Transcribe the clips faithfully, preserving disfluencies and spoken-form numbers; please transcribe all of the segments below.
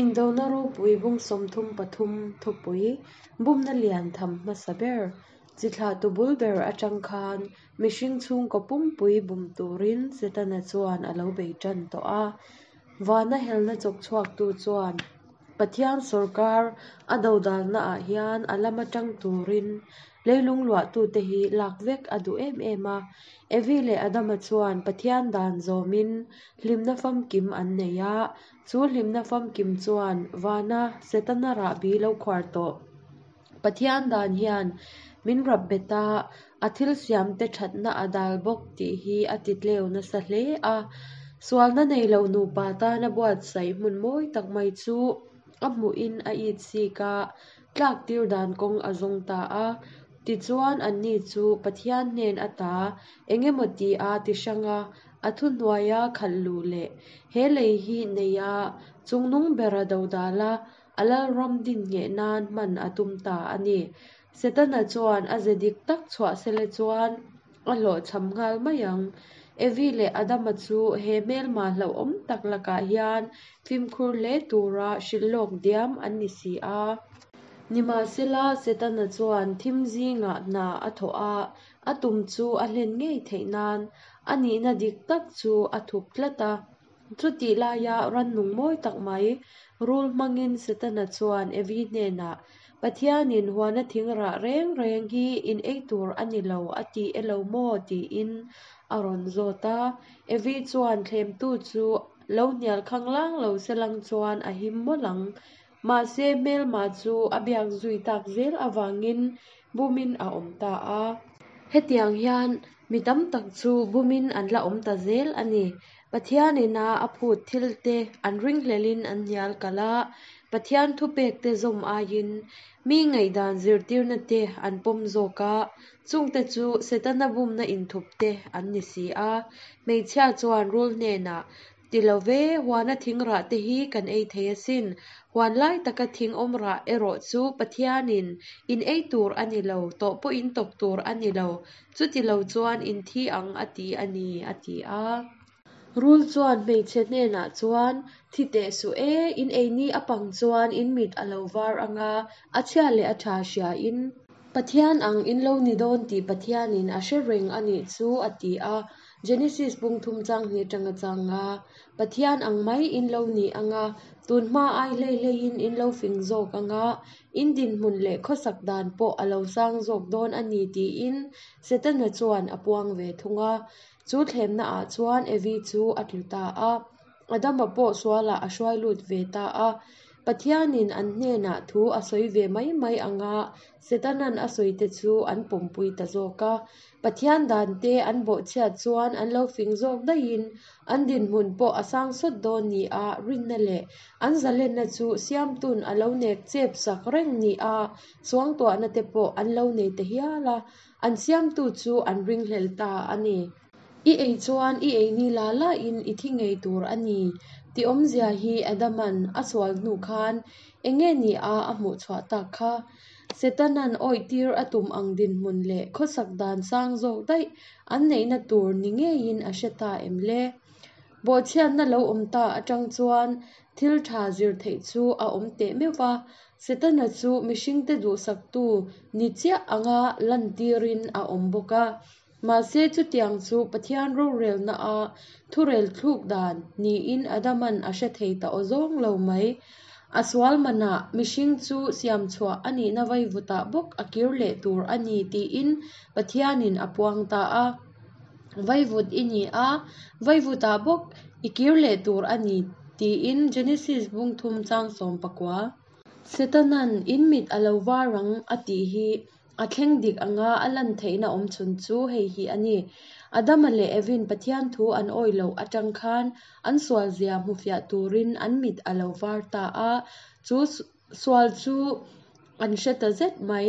Indona ropui bung sawmthum pathum thupui bumna lian tham hmasa ber chi thlahtu bul ber atang khan mihring chhungkaw pumpui bum turin Setana chuan a lo bei tan tawh a. Vana helna chawk chhuaktu chuan Pathian sawrkar a dodalnaah hian a lama tang turin leilung luahtute hi lak vek a duh em em a. Evi leh Adama chuan Pathian dan zawmin hlimna famkim an nei a, chu hlimna famkim chuan vana Setana rahbi lo khuar tawh. Pathian dan hian min rap bet a, a thil siamte thatna a dal bawk tih hi a ti tleu nasa hle a. Sualna nei lo nupa tana buatsaih hmun mawi tak mai chu a hmuhin a it sik a, tlak tir dan kawng a zawng ta a. Tichuan anni chu Pathian hnen ata engemaw ti a ti hrang a, a thuhnuaia khalh luh leh he lei hi nei a, chungnung bera dodal a, a lalram din ngheh nan hman a tum ta a ni. Setana chuan a ze dik tak chhuah sela chuan a hlawhchham nghal mai ang. Evi leh Adama chu he hmelma hlauhawm tak lakah hian fimkhur hle tura hrilh lawk diam an ni si a. Nimahsela, Setana chuan thim zingah hna a thawh a, a tum chu a hlen ngei theih nan a nihna dik tak chu a thup tlat a. Chutih laia rannung mawi tak mai rul hmangin Setana chuan Evi hnenah, Pathianin huana thing rah reng reng hi in ei tur a ni lo a ti elo maw? tiin a rawn zawt a. Evi chuan thlemtu chu lo hnial khanglang lo selang chuan a him mawlh ang. Mahse hmelma chu a biak zui tak zel avangin bumin a awm ta a. Hetiang hian mi tam tak chu bumin an la awm ta zel a ni. Pathianina a phut thilte an ringhlelin an hnial kalh a, Pathian thupekte zawm aiin mi ngaihdan zirtirna te an pawm zawk a, chungte chu Setana bumna inthupte an ni si a. Hmeichhia chuan rul hnenah, Ti lo ve, huana thing rah te hi kan ei thei asin. Huan lai taka thing awm rah erawh chu Pathianin in ei tur a ni lo, tawh pawh in tawk tur a ni lo, chuti lo chuan in thi ang a ti a ni, a ti a. Rul chuan hmeichhe hnenah chuan, Thi teh suh e, in ei ni a pang chuan in mit a lo var ang a, a chhia leh a tha hriain Pathian ang in lo ni dawn tih Pathianin a hre reng a nih chu, a ti a. Genesis bung thum chang hnih atanga chang a, Pathian ang mai in lo ni ang a, tun hma ai hlei hleiin in lo fing zawk ang a, in dinhmun leh khawsak dan pawh a lo sang zawk dawn a ni tiin Setana chuan a puang ve thung a. Chu thlemnaah chuan Evi chu a tlu ta a, Adama pawh sualah a hruai lut ve ta a. Pathianin an hnenah thu a sawi ve mai mai ang a, Setanan a sawite chu an pawmpui ta zawk a. Pathian dante an bawhchhiat chuan an lo fing zawk daihin an dinhmun pawh a sang sawt dawn ni a rinna leh an zalenna chu siamtun a lo nek chep sak reng ni a suangtuahna te pawh an lo nei ta hial a, an siamtu chu an ringhlel ta a ni. I ei chuan i ei ni la lain i thi ngei tur a ni tih awmzia hi Adaman a sual hnu khan enge ni a a hmuh chhuah tak kha? Setanan awihtir a tum ang dinhmun leh khawsak dan sang zawk daih an neihna tur ni ngeiin a hre ta em le? Bawhchhiatna lo awm ta atang chuan thil tha zir theih chu a awm teh meuh va, Setana chu mihringte duhsaktu ni chiah anga lantirin a awm bawk a. Mahse chutiang chu Pathian rorelna a thurel thluk dan niin Adaman a hre thei ta awzawng lo mai. A sual manah mihring chu siam chhuah a nihna vaivutah bawk a kir leh tur a ni tiin Pathianin a puang ta a. Vaivut i ni a, vaivutah bawk i kir leh tur a ni tiin Genesis bung thum chang sawm pakua. Setanan in mit a lo var ang a tih hi a thleng dik anga a lan theihna awm chhun chu hei hi a ni. Adama leh Evin Pathian thu an awih loh atang khan an sual zia hmufiah turin an mit a lo var ta a, chu sual chu an hre ta zet mai.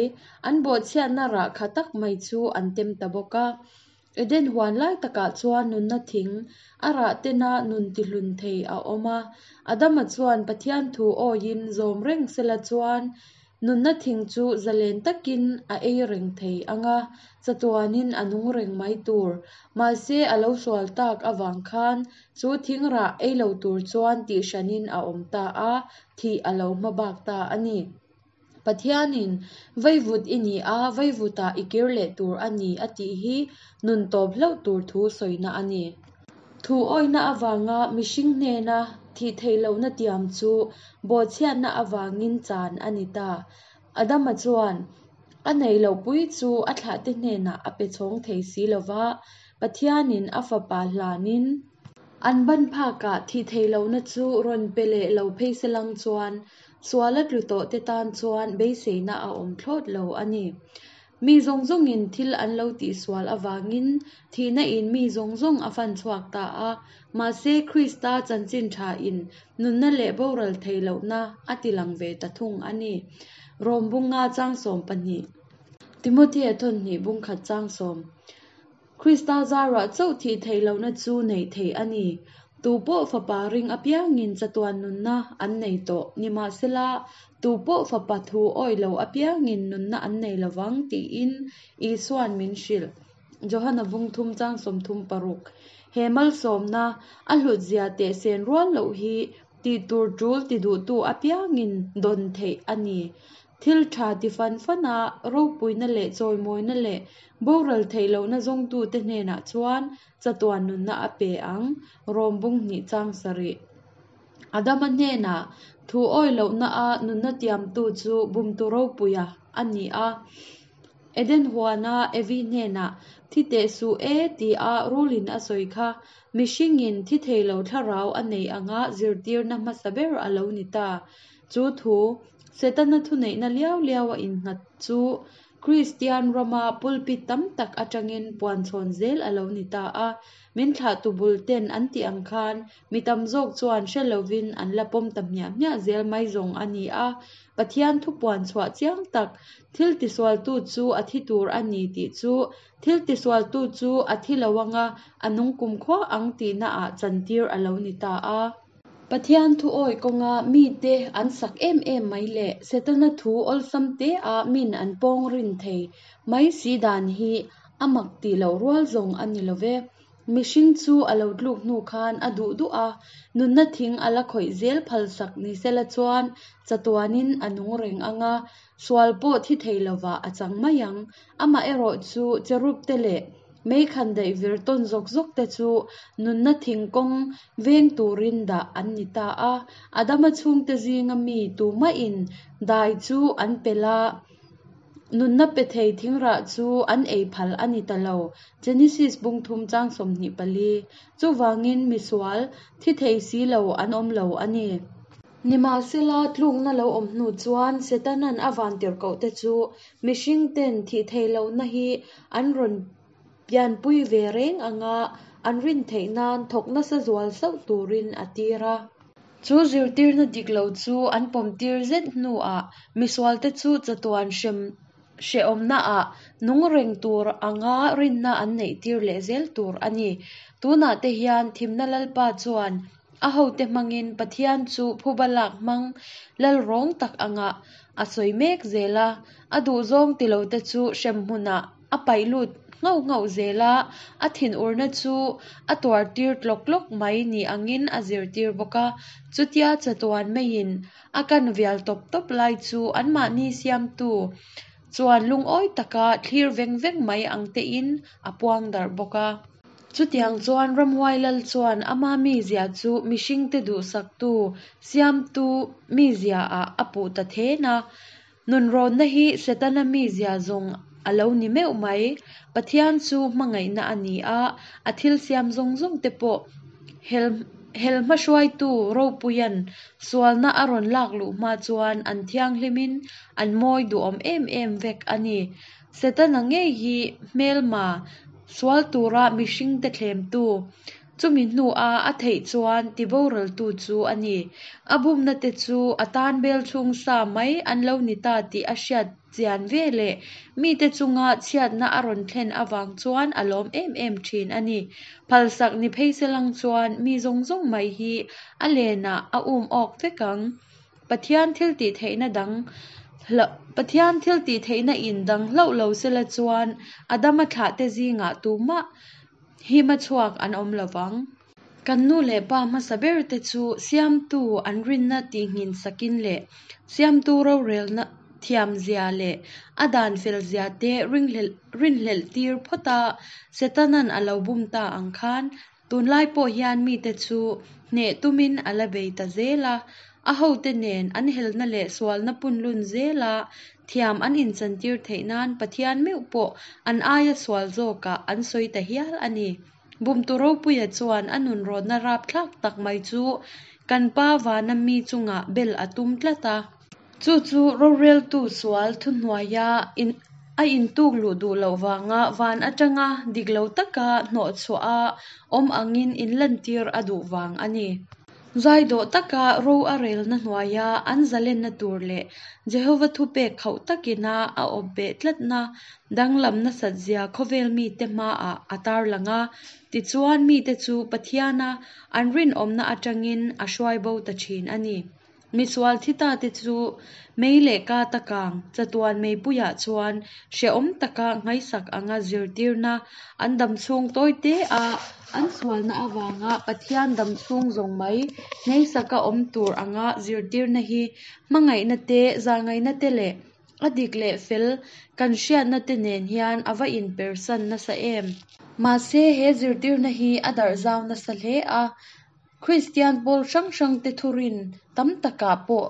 An bawhchhiatna rah kha tak mai chu an tem ta bawk a. Eden huan lai takah chuan nunna thing a rah tena nun tihlun thei a awm a. Adama chuan Pathian thu awiin zawm reng sela chuan Nunna thing chu zalen takin a ei reng thei ang a, chatuanin a nung reng mai tur. Mahse a lo sual tak avang khan chu thing rah ei lo tur chuan tihhranin a awm ta a, thih a lo hmabak ta a ni. Pathianin vaivut i ni a, vaivutah i kir leh tur a ni a tih hi nun tawp hlauh tur thu sawina a ni. Thu awihna avanga mihring hnena thih theih lohna tiam chu bawhchhiatna avangin chan a ni ta. Adama chuan a neih loh pui chu a thlahte hnenah a pe chhawng thei si lo va, Pathianin a fapa hlanin an ban phakah thih theih lohna chu rawn pe leh lo phei se lang chuan suala tlu tawhte tan chuan beiseina a awm thlawt lo a ni. Mi zawng zawngin thil an lo tihsual avangin thihna in mi zawng zawng a fan chhuak ta a, mahse Krista chanchin thain nunna leh boral theih lohna a tilang ve ta thung a ni. Rom bunga chang sawm pahnih. Timothea thawnhnih bungkhat chang sawm. Krista zarah chauh thih theih lohna chu neih theih a ni. Tu pawh fapa ring apiangin chatuan nunna an nei tawh. Nimahsela, tu pawh fapa thu awih lo apiangin nunna an nei lovang tiin Isuan min hrilh. Johana bung thum chang sawmthum paruk. He malsawmna a hlutzia teh sen rual loh hi tih tur tul ti duhtu apiangin dawn theih a ni. Thil tha ti fan fan a, ropuina leh chawimawina leh boral theih lohna zawngtute hnenah chuan chatuan nunna a pe ang. Rom bung hnih chang sarih. Adama hnenah thu awih lohna a nunna tiamtu chu bumtu ropuia a ni a. Eden huana Evi hnenah thi teh suh e ti a rulin a sawi kha mihringin thi thei lo thlarau a nei anga zirtirna hmasa ber a lo ni ta. Chu thu Setana thu neihna liau liau a innghat chu Kristian rama pulpit tam tak atangin puan chhawn zel a lo ni ta a. Min thlahtu bul ten an tih ang khan mi tam zawk chuan hre lovin an la pawm ta hmiah hmiah zel mai zawng a ni a. Pathian thu puan chhuah chiang tak thil tisualtu chu a thi tur a ni tih chu thil tisualtu chu a thi lo anga a nung kumkhua ang tihna ah chantir a lo ni ta a. Pathian thu awih kawnga mite an sak em em mai leh Setana thu awlsam te a min an pawng rin thei mai si dan hi a mak tih loh rual zawng a ni love. Mihring chu a lo tluk hnu khan a duh duh a, nunna thing a la khawih zel phalsak ni sela chuan chatuanin a nung reng anga, sual pawh thi thei lovah a chang mai ang. Amaherawh chu cherub te leh mei khandaih vir tawn zawk zawk te chu nunna thing kawng veng turin dah an ni ta a. Adama chhungte zinga mi tumahin dai chu an pel a, nunna pe thei thingrah chu an ei phal a ni ta lo. Genesis bung thum chang sawmhnih pali. Chuvangin misual thi thei si lo an awm lo a ni. Nimahsela tlukna lo awm hnu chuan Setanan a vantirhkoh te chu mihring ten thih theih lohna hi an rawn pianpui ve reng anga an rin theih nan thawk nasa zual sauh turin a tir a. Chu zirtirna dik lo chu an pawm tir zet hnuah misual te chu chatuan hrem hrehawmna ah nung reng tur anga rinna an neih tir leh zel tur a ni. Tunah te hian thimna lalpa chuan a hote hmangin Pathian chu phuba lak hmang lal rawng tak anga a sawi mek zel a. A duhzawng ti lo te chu hremhmunah a paih lut nghauh nghauh zel a, a thinurna chu a tuar tir tlawk tlawk mai ni angin a zirtir bawk a. Chutia chatuan meiin a kan vial tawp tawp lai chu anmahni siamtu chuan lungawi taka thlir veng veng mai ang tein a puang darh bawk a. Chutiang chuan ramhuai lal chuan ama mizia chu mihringte duhsaktu siamtu mizia ah a puh ta then a. Nunrawnna hi Setana mizia zawng a lo ni meuh mai. Pathian chu hmangaihna a ni a, a thil siam zawng zawng te pawh hel hel hmahruaitu ropuian sualna a rawn lak luh hma chuan an thianghlimin an mawi duhawm em em vek a ni. Setana ngei hi hmelma sual tura mihringte thlemtu chumi hnu a a theih chuan tiboraltu chu a ni. A bumna te chu a tan bel chhung sa mai an lo ni ta tih a hriat chian ve leh mite chunga chhiatna a rawn thlen avang chuan a lawm em em thin a ni. Phalsak ni phei se lang chuan mi zawng zawng mai hi a lenah a um awk vek ang. Pathian thil tih theihna dang Pathian thiltihtheihna in dang hlauh lo sela chuan Adama thlahte zingah tumah hima chhuak an awm lo vang. Kan nu leh pa hmasa berte chu Siamtu an rinna tihnghin sakin leh Siamtu rorelna thiamzia leh a dan felzia te rinhlelhtir phawta Setana'n a lo bum ta ang khan tunlai pawh hian mite chu hneh tumin a la bei ta zel a. A hote nen an helna leh sualna punlun zela thiam an inchantir theih nan Pathian meuh pawh an aia sual zawkah an sawi ta hial a ni. Bumtu ropuia chuan a nunrawnna rapthlak tak mai chu kan Pa vana mi chungah bel a tum tlat a. Chu chu roreltu sual thuhnuaia a intuk luh duh loh vanga van atanga dik lo taka hnawhchhuah a awm angin inlantir a duh vang a ni. Zaidawh taka ro a relna hnuaia an zalenna tur leh Jehova thupek khauh takina a awp beh tlatna danglam nasatzia khawvel mite hmaah a tarlang a. Tichuan mite chu Pathiana an rinawmna atangin a hruai bo ta thin a ni. Misual thi ta te chu mei leh ka ta kang chatuan meipuiah chuan hrehawm taka nghaisak anga zirtirna an damchhung tawite a an sualna avanga Pathian damchhung zawng mai ngheisaka awm tur anga zirtirna hi hmangaihna te, zahngaihna te leh a dik leh fel kan hriatna te nen hian a va inpersan nasa em! Mahse he zirtirna hi a darh zau nasa hle a, Kristian pawl hrang hrangte thurin tam takah pawh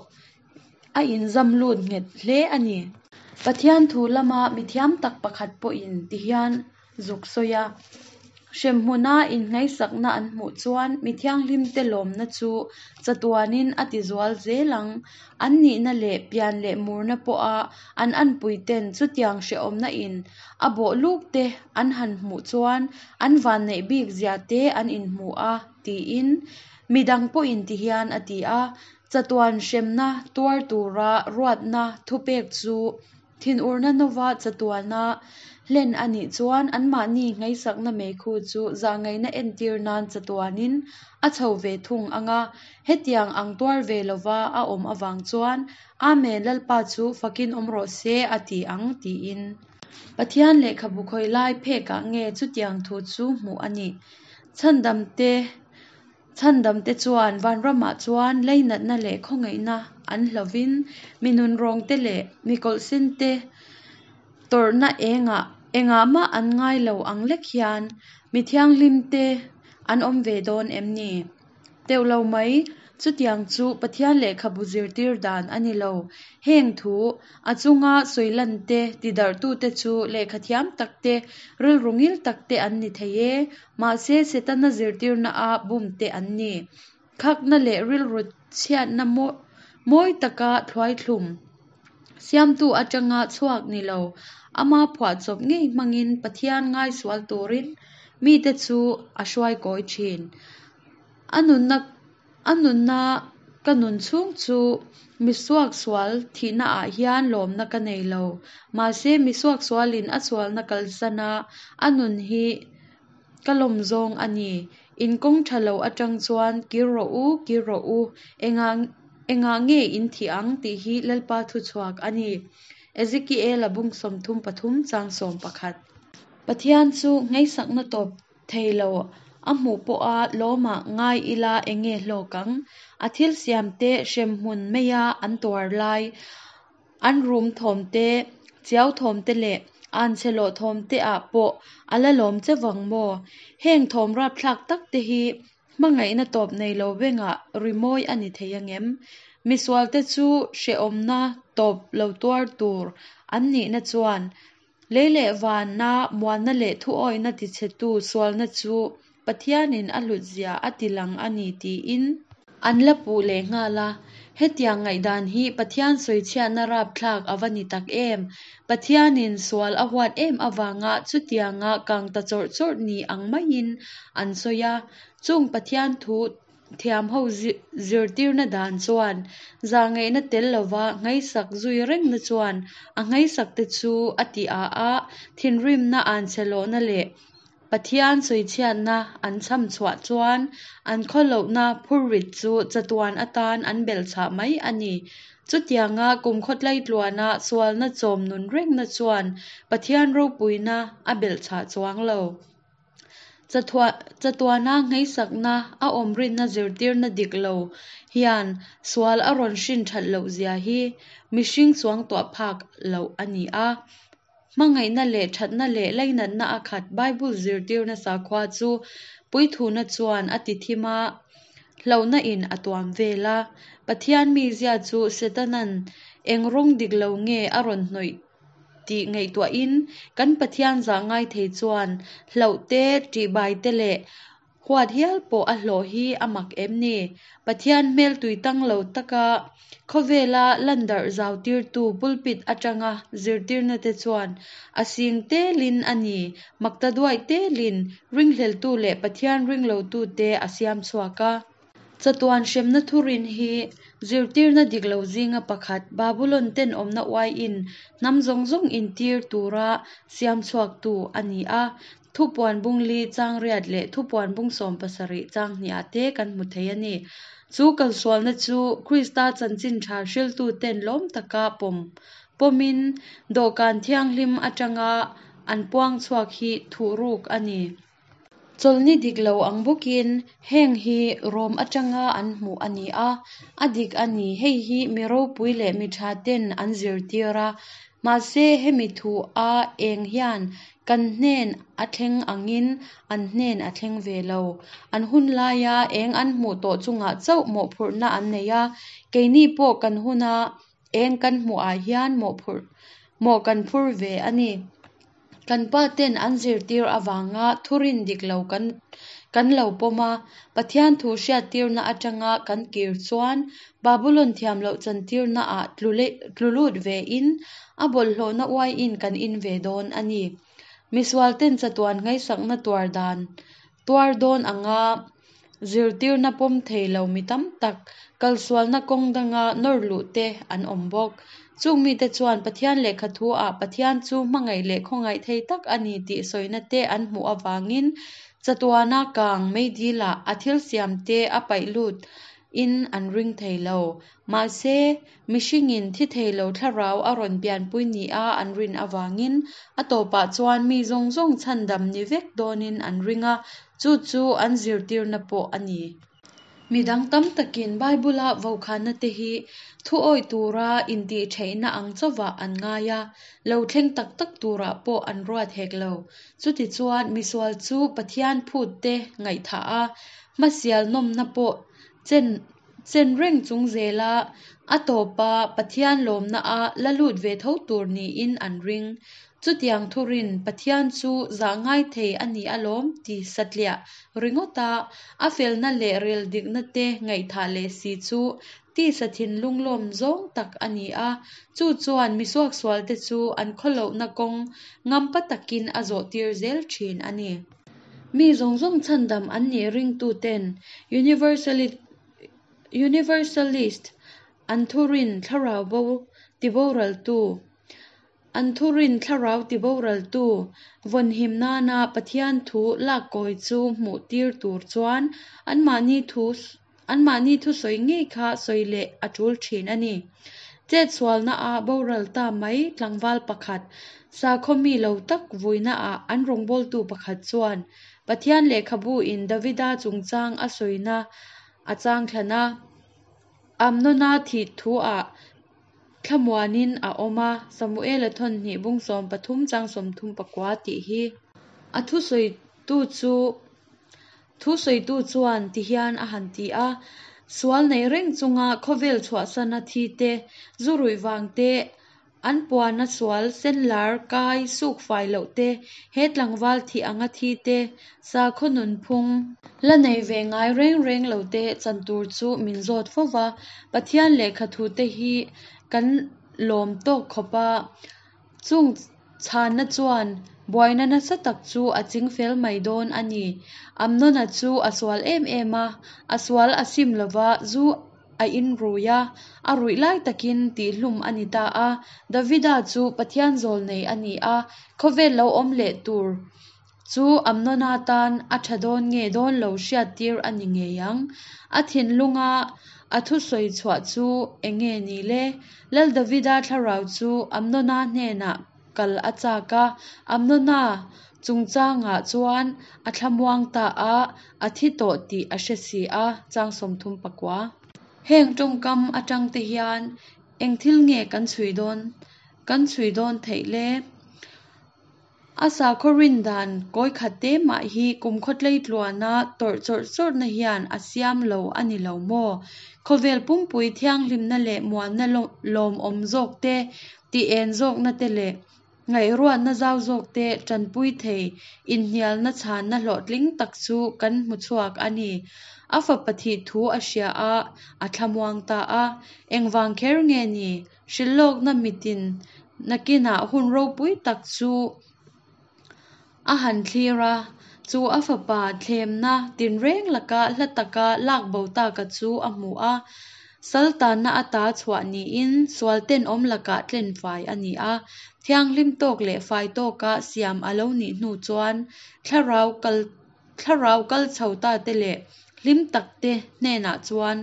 a inzam lut nghet hle a ni. Pathian thu lama mithiam tak pakhat pawhin tihian zuk sawi a, Hremhmuna innghaisakna an hmuh chuan mi thianghlimte lawmna chu chatuanin a tizual zel ang. An nihna leh pian leh murna pawha an anpuiten chutiang hrehawmna in a bawh lukte an han hmuh chuan an vanneih bik zia te an inhmu a, tiin. Midang pawhin tihian a ti a, Chatuan hremna tuar tura ruatna thupek chu thinurna nova chatuana hlen a nih chuan anmahni nghaisakna meikhu chu zahngaihna entir nan chatuanin a chho ve thung ang a, hetiang ang tuar ve lova a awm avang chuan Amen Lalpa chu fakin awm rawh se a ti ang, tiin. Pathian lehkhabu khawi lai phekah nge chutiang thu chu hmuh a nih? Chhandamte Chhandamte chuan vanramah chuan leinatna leh khawngaihna an hlovin mi nunrawngte leh mi kawlhsinte tawrhna engah engah mah an ngai lo ang lek hian mi thianghlimte an awm ve dawn em ni? Teuh lo mai, chutiang chu Pathian lehkhabu zirtir dan a ni lo. Heng thu a chunga sawi-lante tidarhtute chu lehkhathiam takte, rilru ngil takte an ni thei e. Mahse Setana zirtirna a bumte an ni. Khakna leh rilru chhiatna mawi taka thluaithlum siamtu atanga chhuak ni lo, ama phuahchawp ngei hmangin Pathian ngaisual turin mite chu a hruai kawi thin. A nunna a nunna ka nun chhung chu misuaksual thihnaah hian lawmna ka nei lo. Mahse misuaksualin a sualna kalsana a nun hi ka lawm zawng a ni. In kawng tha lo atang chuan kir rawh u, kir rawh u, engah engah nge in thih ang tih hi Lalpa thuchhuak a ni. Ezekiel-a bung sawmthum pathum chang sawm pakhat. Pathian chu ngheisakna tawp thei lo a hmuh pawha lawmah ngai ila enge hlawk ang? A thil siamte hremhmun meia an tuar lai, an rum thawmte, chiau thawmte leh anchhe lawh thawmte ah pawh a la lawm che vang maw? Heng thawm rapthlak takte hi hmangaihna tawp nei lo bengah rimawi a ni thei angem? Misualte chu hrehawmna tawp lo tuar tur an nihna chuan lei leh vana muanna leh thuawihna tichhetu sualna chu Pathianin a hlutzia a tilang a ni tiin an la puh leh nghal a. Hetiang ngaihdan hi Pathian sawichhiatna rapthlak a va ni tak em! Pathianin sual a huat em avanga chutianga kang ta chawrh chawrh ni ang maiin an sawi a. Chung Pathian thu thiam ho zirtirna dan chuan zahngaihna tel lova nghaisak zui rengna chuan a nghaisakte chu a ti a a, thinrimna anchhe lawhna leh Pathian sawichhiatna an chham chhuah chuan an khawlohna phurrit chu chatuan atan an belhchhah mai a ni. Chutianga kumkhaw tlaitluana sualna chawm nun rengna chuan Pathian ropuina a belhchhah chuang lo. Chatuana ngheisakna a awm rinna zirtirna dik lo hian sual a rawn hrin that lohzia hi mihring suangtuah phak loh a ni a. Hmangaihna leh thatna leh lainatna a khat Bible zirtirna sakhua chu puithuna chuan a ti thim a, hlauhna in a tuam vel a. Pathian mizia chu Setanan eng rawng dik lo nge a rawn hnawih tih ngaihtuahin kan Pathian zah ngai thei chuan hlauh te, ṭihbai te leh huat hial pawh a hlawh hi a mak em ni? Pathian hmel tuitang lo taka khawvela landarh zau tirtu pulpit atanga zirtirna te chuan a sing telin a ni, makta duai telin ringhleltu leh Pathian ringlotu te a siam chhuak a. Chatuan hremna thurin hi zirtirna dik lo zinga pakhat Babulon tenawmna uaiin hnam zawng zawng intir tura siam chhuaktu a ni a. Thupuan bung li chang riat leh thupuan bung sawm pasarih chang hniah te kan hmu thei a ni. Chu kalsualna chu Krista chanchin tha hriltu ten lawm taka pawm pawmin dawhkan thianghlim atanga an puang chhuak hi thuhruk a ni. Chawlhni dik lo ang bawkin heng hi Rom atanga an hmuh a ni a, a dik a ni. Hei hi mi ropui leh mi tha ten an zirtir a, mahse hemi thu a eng hian kan hnen a thleng angin an hnen a thleng ve lo. An hun laia eng an hmuh tawh chungah chauh mawhphurhna an nei a, keini pawh kan huna eng kan hmuhah hian mawhphurh mawh kan phur ve a ni. Kan pa ten an zirtir avanga thurin dik lo kan kan lo pawm a, Pathian thu hriattirna atanga kan kir chuan Babulon thiam loh chantirna ah tlu lut ve in a bawlhhlawhna uaiin kan in ve dawn a ni. Misual ten chatuan nghaisakna tuar dan tuar dawn anga zirtirna pawm thei lo mi tam tak kalsualna kawng danga nawr luh te an awm bawk. Chung mite chuan Pathian lehkha thu ah Pathian chu hmangaih leh khawngaih thei tak a ni tih sawina te an hmuh avangin chatuana kang meidil-ah a thil siam te a paih lut in an ring thei lo. Mahse, mihringin thi thei lo thlarau a rawn pianpui ni a an rin avangin a tawpah chuan mi zawng zawng chhandam ni vek dawnin an ring a, chu chu an zirtirna pawh a ni. Midang tam takin Bible-a vaukhana te hi thu awih tura intihtheihna ang chauhvah an ngai a, lo thleng tak tak turah pawh an ruat hek lo. Chutichuan, misual chu Pathian phut te ngaihthah a, hmasial nawmna pawh chen chen reng chung zela a tawpa Pathian lawmna a la lut ve tho tur niin an ring. Chutiang thurin Pathian chu zah ngai thei a ni alawm ti satliah ringawta a felna leh rel dikna te ngaihthah leh si chu tisa thinlung lawm zawng tak a ni a, chu chuan misuaksual te chu an khawlohna kawng ngampa takin a zawh tir zel thin a ni. Mi zawng zawng chhandam an nih ringtu ten universalist an thurin thlarau bo tiboraltu an thurin thlarau tiboraltu vawnhim nana Pathian thu lak kawi chu hmuh tir tur chuan anmahni thu anmahni thusawi ngei kha sawi leh a tul thin a ni. Chetsualna a boral ta mai tlangval pakhat sakhaw mi lo tak vuina ah an rawngbawltu pakhat chuan Pathian lehkhabu in Davida chungchang a sawina a chang thlan a, Amnona thih thu ah thlamuanin a awm a, Samuel-a thawn hnih bung sawm pathum chang sawmthum pakua tih hi. A thusawitu chu thusawitu chuan tihian a han ti a, sual nei reng chunga khawvel chhuahsana thi te, zu ruih vang te, an puana sual senlar kai suk fai loh te, he tlangval thih anga thi te, sakhaw nunphung la nei ve ngai reng reng lo te chan tur chu min zawt fo va. Pathian lehkha thu te hi kan lawm tawk khawp a, chung chhanna chuan buaina nasa tak chu a chingfel mai dawn a ni. Amnona chu a sual em em a, a sual a sim lova, zu a in rui a, a ruih lai takin tihhlum a ni ta a. Davida chu Pathian zawl nei a ni a, khawvel lo awm leh tur chu Amnona tan a tha dawn nge dawn lo hriattir a ni ngei ang. A thinlunga a thusawi chhuah chu enge ni le? Lal Davida thlarau chu Amnona hnenah kal a chak a, Amnona chungchangah chuan a thlamuang ta a, a thi tawh tih a hre si a, chang sawmthum pakua. Heng tawngkam atang te hian eng thil nge kan chhui dawn kan chhui dawn theih le? A sakhaw rin dan kawi khat te mah hi kumkhaw tlei tluana tawrh chawrh chawrhna hian a siam lo a ni lo maw? Khawvel pumpui thianghlimna leh muanna lawmawm zawk te, tih en zawkna te leh ngaihruatna zau zawk te tanpui thei inhnialna chhanna hlawhtling tak chu kan hmu chhuak a ni. A fapa thih thu a hria a, a thlamuang ta a. Engvang kher nge ni? Hrilhlawkna mitin nakinah hun ropui tak chu a han thlir a, chu a fapa thlemna tinreng laka hla taka lak bo taka chu a hmu a. Sal tanna ata chhuah niin sual tenawm lakah tlenfai a ni a. Thianghlim tawk leh fai tawka siam a lo nih hnu chuan thlarau kal thlarau kal chho ta te leh hlim tak te hnenah chuan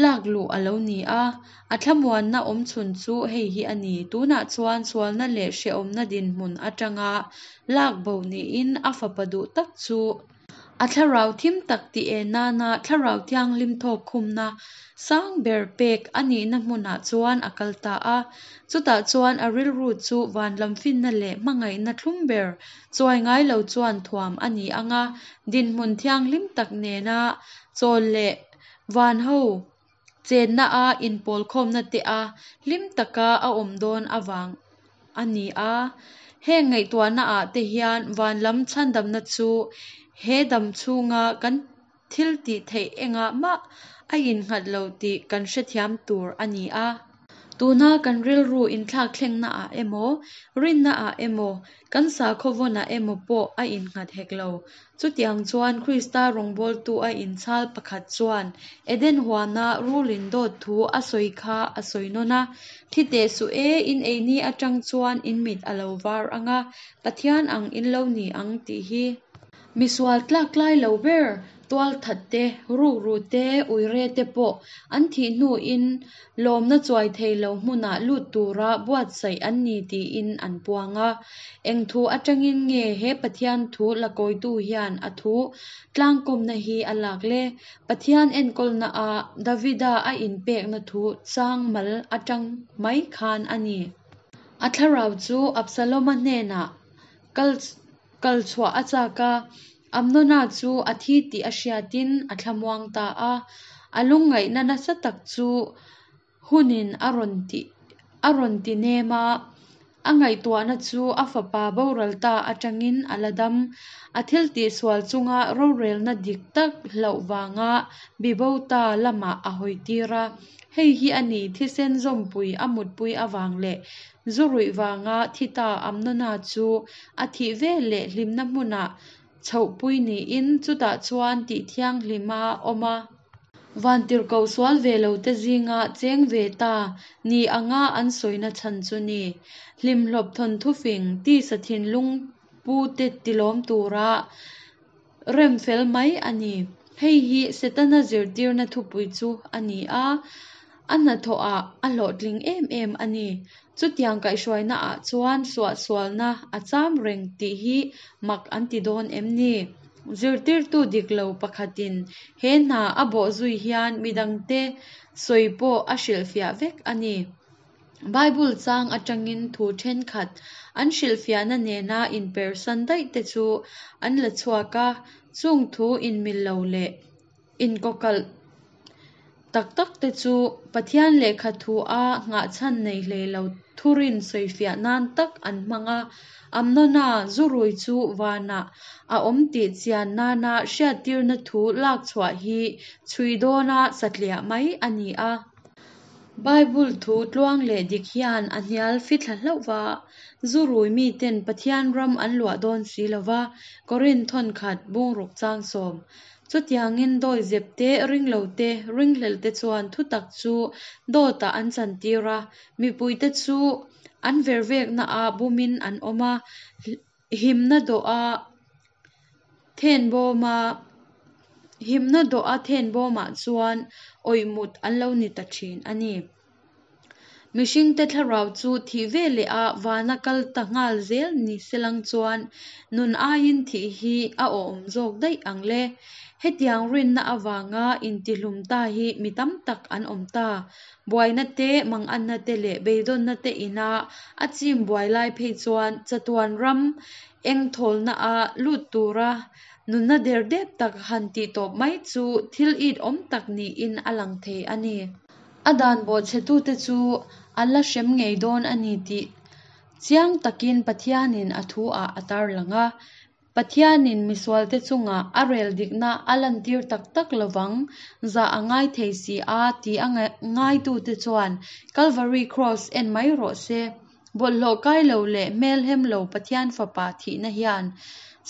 lak luh a lo ni a. A thlamuanna awm chhun chu hei hi a ni. Tunah chuan sualna leh hrehawmna dinhmun atanga lak bo niin a fapa duh tak chu a thlarau thim tak tih en nana thlarau thianghlim thawk khumna sang ber pek a nihna hmunah chuan a kal ta a. Chutah chuan a rilru chu van lam finna leh hmangaihna thlum ber chuai ngai lo chuan thuam a ni anga, dinhmun thianghlim tak nena chawl leh van ho chenna a inpawlkhawmna te a hlim taka a awm dawn avang a ni a. Heng ngaihtuahna ah te hian van lam chhandamna chu he dam chhunga kan thil tih theih engah mah a innghat lo tih kan hrethiam tur a ni a. Tuna kan rilru inthlak thlengna ah emaw, rinna ah emaw, kan sakhaw vawnah emaw pawh a innghat hek lo. Chutiang chuan Krista rawngbawltu a inchhal pakhat chuan Eden huana rulin dawt thu a sawi kha a sawi nawn a. Thi teh suh e, in ei ni atang chuan in mit a lo var anga, Pathian ang in lo ni ang tih hi. Misual tlak tlai lo ber tual that te, rukru te, uire te pawh an thih hnuin lawmna chuai thei lo hmunah lut tura buatsaih an ni tiin an puang a. Eng thu atangin nge he Pathian thu lakawitu hian a thu tlangkawmna hi a lak le? Pathian enkawlna a Davida a inpekna thu chang mal atang mai khan a ni. A thlarau chu Absaloma hnenah kal kal chhuah a chak a, Amnona chu a thi tih a hriatin a thlamuang ta a. A lungngaihna nasa tak chu hunin a rawn ti a rawn ti nem a, a ngaihtuahna chu a fapa boral ta atangin a la dam. A thil tih sual chunga rorelna dik tak hlauh vanga bibo ta lamah a hawi tir a. Hei hi a ni thisen zawmpui a mutpui avang leh zu ruih vanga thi ta Amnona chu a thih veleh hlimna hmunah chhohpui niin chutah chuan tih thianghlima awm a. Vantirhkoh sual ve lo te zinga cheng ve ta ni anga an sawina chhan chu ni. Hlimhlawp thawnthu fing tisa thinlung pu te tilawm tura rem fel mai a ni. Hei hi Setana zirtirna thupui chu a ni a, a hnathawhah a hlawhtling em em a ni. Chutiang kaihhruaina ah chuan suahsualna a cham reng tih hi mak an ti dawn em ni? Zirtirtu dik lo pakhatin he hna a bawhzui hian midangte sawi pawh a hrilhfiah vek a ni. Bible chang atangin thu thenkhat an hrilhfiahna nena inpersan daih te chu an la chhuak a, chung thu inmil lo leh inkawkalh tak tak te chu Pathian lehkha thu a nghahchhan nei hlei lo thurin sawifiah nan tak an hmang a. Amnona zu rui chu vanah a awm tih chian nana hriattirna thu lak chhuah hi chhui dawna satliah mai a ni a. Bible thu tluang leh dik hian a hnial fithla hlauh va, zu rui miten Pathian ram an luah dawn si lova, Korinth thawnkhat bungruk chang sawm. Chutiangin dawihzep te, ringlo te, ringhlel te chuan thutak chu dawtah an chantir a, mipuite chu an vervekna ah bumin an awm a, himna dawh a Thenbawma himna dawh a thenbawmah chuan awih mut an lo ni ta thin a ni. Mihringte thlarau chu thih veleh a vana kal ta nghal zel ni selang chuan nun aiin thih hi a awm zawk daih ang le. Hetiang rinna avanga intihlum ta hi mi tam tak an awm ta. Buaina te, manganna te leh beidawnna te ina a chim buai lai phei chuan chatuan ram eng thawlna a lut tura nunna derdep tak han tih tawp mai chu thil it awm tak niin a lang thei a ni. A dan bawhchhetute chu an la hrem ngei dawn a ni tih chiang takin Pathianin a thu ah a tarlang a. Pathianin misualte chungah a rel dikna a lantir tak tak lovang zah a ngai thei si a ti a ngaitute chuan Calvary Cross en mai rawh se. Bawlhhlawh kai lo leh hmelhem lo Pathian fapa thihna hian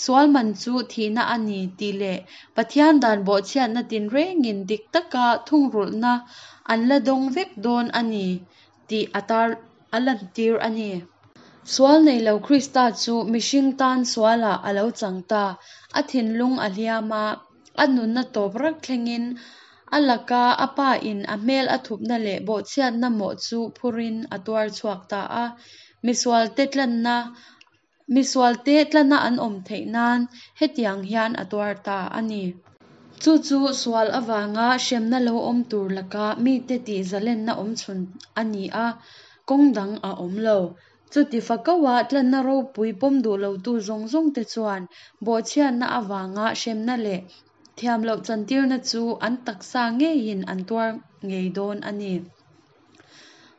sual man chu thihna a ni tih leh Pathian dan bawhchhiatna tinrengin dik taka thungrulhna an la dawng vek dawn a ni tih a tar a lantir a ni. Sual nei lo Krista chu mihring tan sualah a lo chang ta. A thinlung a hliam a, a nunna tawp rak thlengin a laka a pa in a hmel a thupna leh bawhchhiatna mawh chu phurin a tuar chhuak ta a. Misualte tlanna misualte tlanna an awm theih nan hetiang hian a tuar ta a ni. Chu chu sual avanga hremna lo awm tur laka mite tih zalenna awm chhun a ni a, kawng dang a awm lo. Chuti fakawa tlanna ropui pawm duh lotu zawng zawng te chuan bawhchhiatna avanga hremna leh thiam loh chantirna chu an taksa ngeiin an tuar ngei dawn a ni.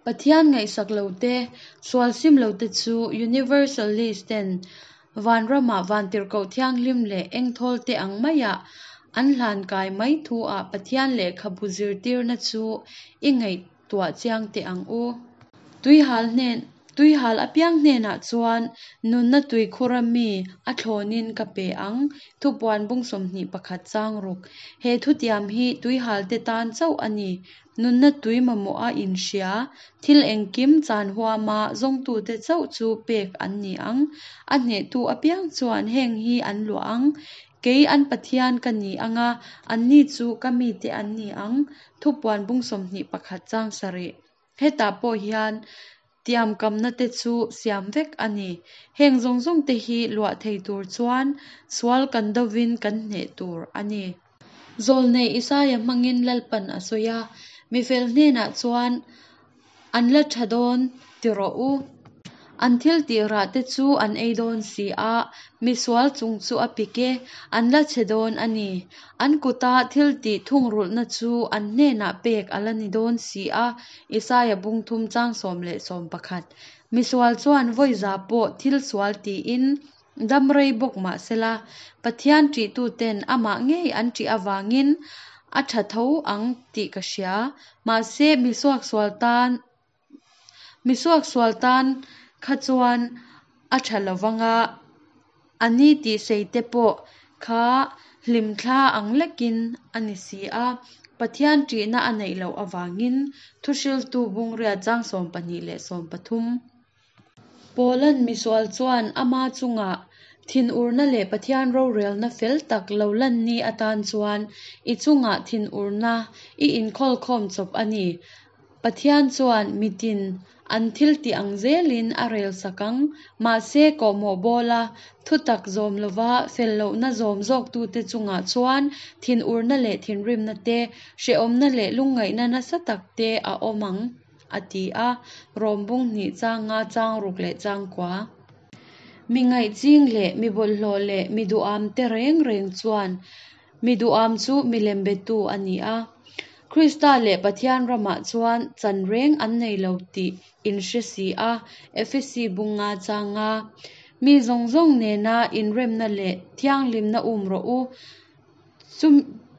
Pathian ngaihsak lo te, sual sim lo te chu Universalist ten vanramah vantirhkoh thianghlim leh engthawl te ang maiah an hlan kai mai thu ah Pathian lehkhabu zirtirna chu i ngaihtuah chiang teh ang u. Tuihal hnen Tuihal apiang hnenah chuan nunna tuikhura mi a thlawnin ka pe ang. Thupuan bung sawmhnih pakhat chang ruk. He thutiam hi tuihal te tan chauh a ni. Nunna tui mamawh a inhria, thil engkim chan huama zawngtute chauh chu pek an ni ang. A hnehtu apiang chuan heng hi an luah ang. Kei an Pathian ka ni anga, anni chu ka mite an ni ang. Thupuan bung sawmhnih pakhat chang sarih. Hetah pawh hian tiam kamna te chu siam vek a ni. Heng zawng zawng te hi luah thei tur chuan sual kan dovin kan hneh tur a ni. Zawlnei Isaia hmangin Lalpan a sawi a, mifel hnenah chuan an la tha dawn ti rawh u. An thil tih rah te chu an ei dawn si a, misual chung chu a pik e, an la chhe dawn a ni. An kuta thil tih thungrulhna chu an hnenah pek a la ni dawn si a, Isaia bung thum chang sawm leh sawm pakhat. Misual chuan vawi za pawh thil sual tiin dam rei bawk mahsela, Pathian ṭihtuten amah ngei an ṭih awangin a tha tho ang tih ka hria. Mahse misuak sual tan misuak sual tan kha chuan a tha lovanga ani tih sei te pawh kha hlimthla ang lekin a ni si a. Pathian ṭihna a neih loh awangin thuhriltu bung riat chang sawm pahnih leh sawm pathum. Paulan misual chuan ama chungah thinurna leh Pathian rorelna fel tak lo lan ni atan chuan i chungah thinurna i inkhawlkhawm chawp a ni. Pathian chuan mitin an thil tih ang zelin a rel sak ang. Mahse kawhmawh bawla thutak zawm lova fel lohna zawm zawktute chungah chuan thinurna leh thinrimna te, hrehawmna leh lungngaihna nasa tak te a awm ang a ti a. Rom bung hnih chang nga chang ruk leh chang kua. Mi ngaih ching leh mi bawlhhlawh leh mi duham te reng reng chuan mi duham chu milem betu a ni a. Krista leh Pathian ramah chuan chan reng an nei lo tih inhre si a, Efesi bung nga chang nga. Mi zawng zawng nena inremna leh thianghlimna um rawh u.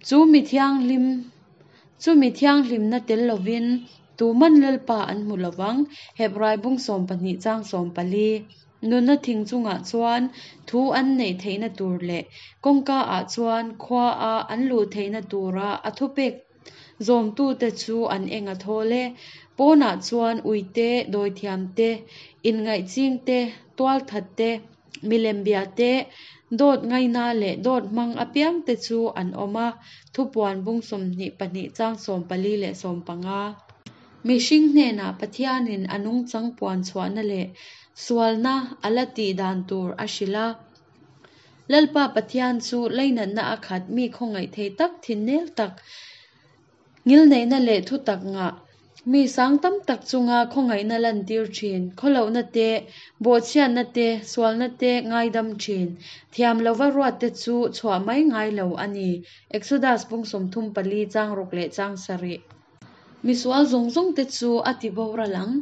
Chu mi thianghlim chu mi thianghlimna tel lovin tuman Lalpa an hmu lovang. Hebrai bung sawm pahnih chang sawm pali. Nunna thing chungah chuan thu an neih theihna tur leh kawngka ah chuan khua a an luh theihna tura a thupek zawmtute chu an eng a thawl e. Pawnah chuan uite, dawithiam te, inngaih ching te, tual that te, milem bia te, Dawt ngaina leh dawt hmang apiangte chu an awm a, Thupuan bung sawmhnih pahnih chang sawm pali leh sawm panga. Mihring hnenah Pathianin a nungchang puan chhuahna leh sualna a la tih dan tur a hrilh a. Lalpa Pathian chu lainatna a khat mi khawngaih thei tak thinnel tak, ngilneihna leh thutak ngah, mi sang tam tak chunga khawngaihna lantir thin, khawlohna te, bawhchhiatna te, sualna te ngaidam thin, thiam lova ruatte chu chhuah mai ngai lo a ni. Exodus bung sawmthum pali chang ruk leh chang sarih. Misual zawng zawng te chu a ti boral ang.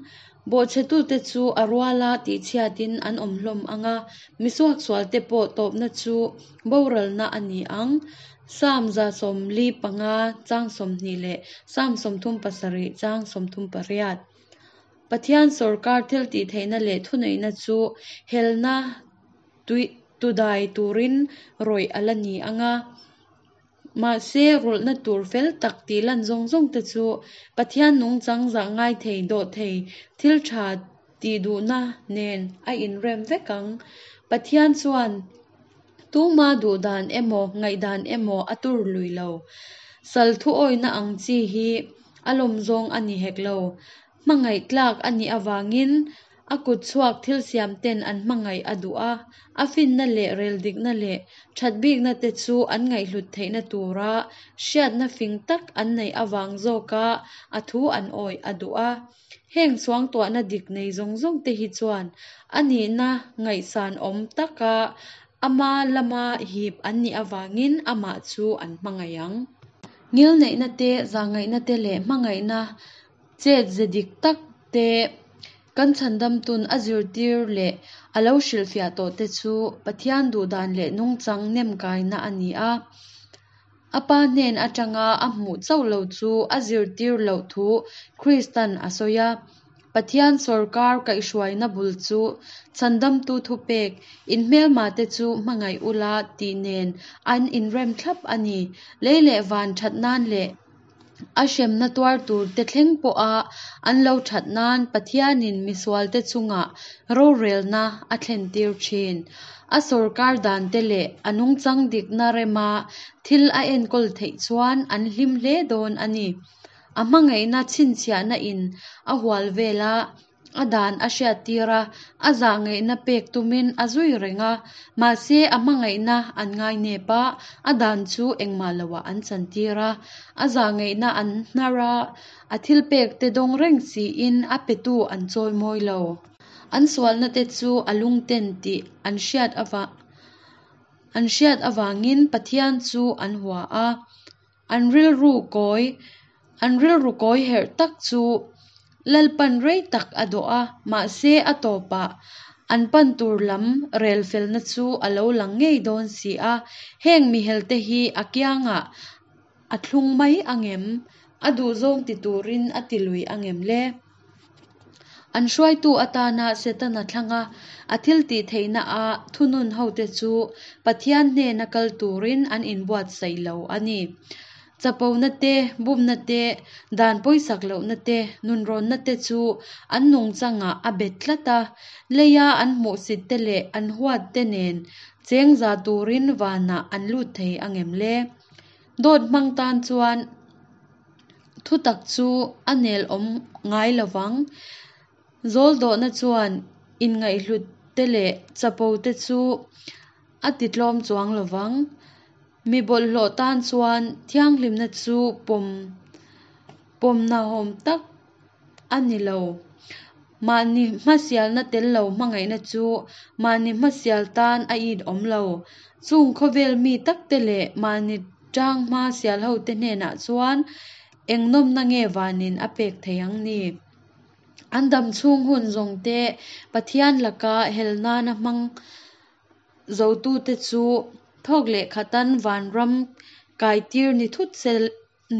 Bawhchhetute chu a ruala tihchhiatin an awm hlawm ang a, misuaksualte pawh tawpna chu boralna a ni ang. Psalm za sawmli panga chang sawmhnih leh Psalm sawmthum pasarih chang sawmthum pariat. Pathian sawrkar thil tihtheihna leh thuneihna chu helna tudai turin rawih a la ni ang a. Mahse rulhna tur fel tak tih lan zawng zawng te chu Pathian nungchang zah ngai thei dawh thei thil tha tih duhna nen a inrem vek ang. Pathian chuan tuma duhdan emaw ngaihdan emaw a tur lui lo. Sal thu awihna ang chi hi a lawm zawng a ni hek lo. Hmangaih tlak a nih avangin a kut chhuak thil siam ten an hmangaih a duh a, a finna leh reldikna leh thatbikna te chu an ngaihhlut theihna tura hriatna fing tak an neih avang zawka a thu an awih a duh a. Heng suangtuahna dik nei zawng zawng te hi chuan a nihna ngaihsan awm taka ama lama hip an nih avangin amah chu an hmangaih ang. Ngilneihna te, zahngaihna te leh hmangaihna chet ze dik tak te kan chhandamtun a zirtir leh a lo hrilhfiah tawh te chu Pathian duhdan leh nungchang nem kaina a ni a. A pa hnen atanga a hmuh chauh lo chu a zirtir loh thu Kristan a sawi a. Pathian sawrkar kaihhruaina bul chu chhandamtu thupek, inhmelma te chu hmangaih ula tih nen an inrem thlap a ni. Lei leh van that nan leh a hremna tuar tur te thleng pawha an lo that nan Pathianin misualte chungah rorelna a thlen tir thin. A sawrkar dan te leh a nungchang dikna rema thil a enkawl theih chuan an hlim hle dawn a ni. A hmangaihna chhinchhiahna in a hual vel a, a dan a hriattir a, a zahngaihna pek tumin a zui reng a. Mahse a hmangaihna an ngai nep a, a dan chu engmah loah an chantir a. A zahngaihna an hnar a, a thil pek te dawng reng siin a petu an chawi mawi lo. An sualna te chu a lungten tih an hriat ava an hriat avangin Pathian chu an hua a. An rilru kawi an rilru kawi herh tak chu Lalpan rei tak a dawh a, mahse a tawpah an pan tur lam rel felna chu a lo lang ngei dawn si a. Heng mihel te hi a kiangah a thlung mai angem? A duhzawng ti turin a ti lui angem le? An hruaitu atana Setana thlanga a thil tih theihna a thunun ho te chu Pathian hnena kal turin an inbuatsaih lo a ni. Chapona te, bumna te, dan pawisak lohna te, nunrawnna te chu an nungchangah a bet tlat a. Leia an hmuhsit te leh an huat te nen cheng za turin vanah an lut thei angem le? Dawt hmang tan chuan thutak chu a nel awm ngai lovang. Zawl dawhna chuan inngaihhlut te leh chapo te chu a ti tlawm chuang lovang. Mi bawlhhlawh tan chuan thianghlimna chu pawm pawmnahawm tak a ni lo. Mahni hmasialna tel lo hmangaihna chu mahni hmasial tan a it awm lo. Chung khawvel mi tak te leh mahni tang hma sial ho te hnenah chuan eng nawmna nge vanin a pek thei ang ni. An dam chhung hun zawng te Pathian laka hel nana hmang zotu te chu thawk leh khatan vanram kaitir ni thut sel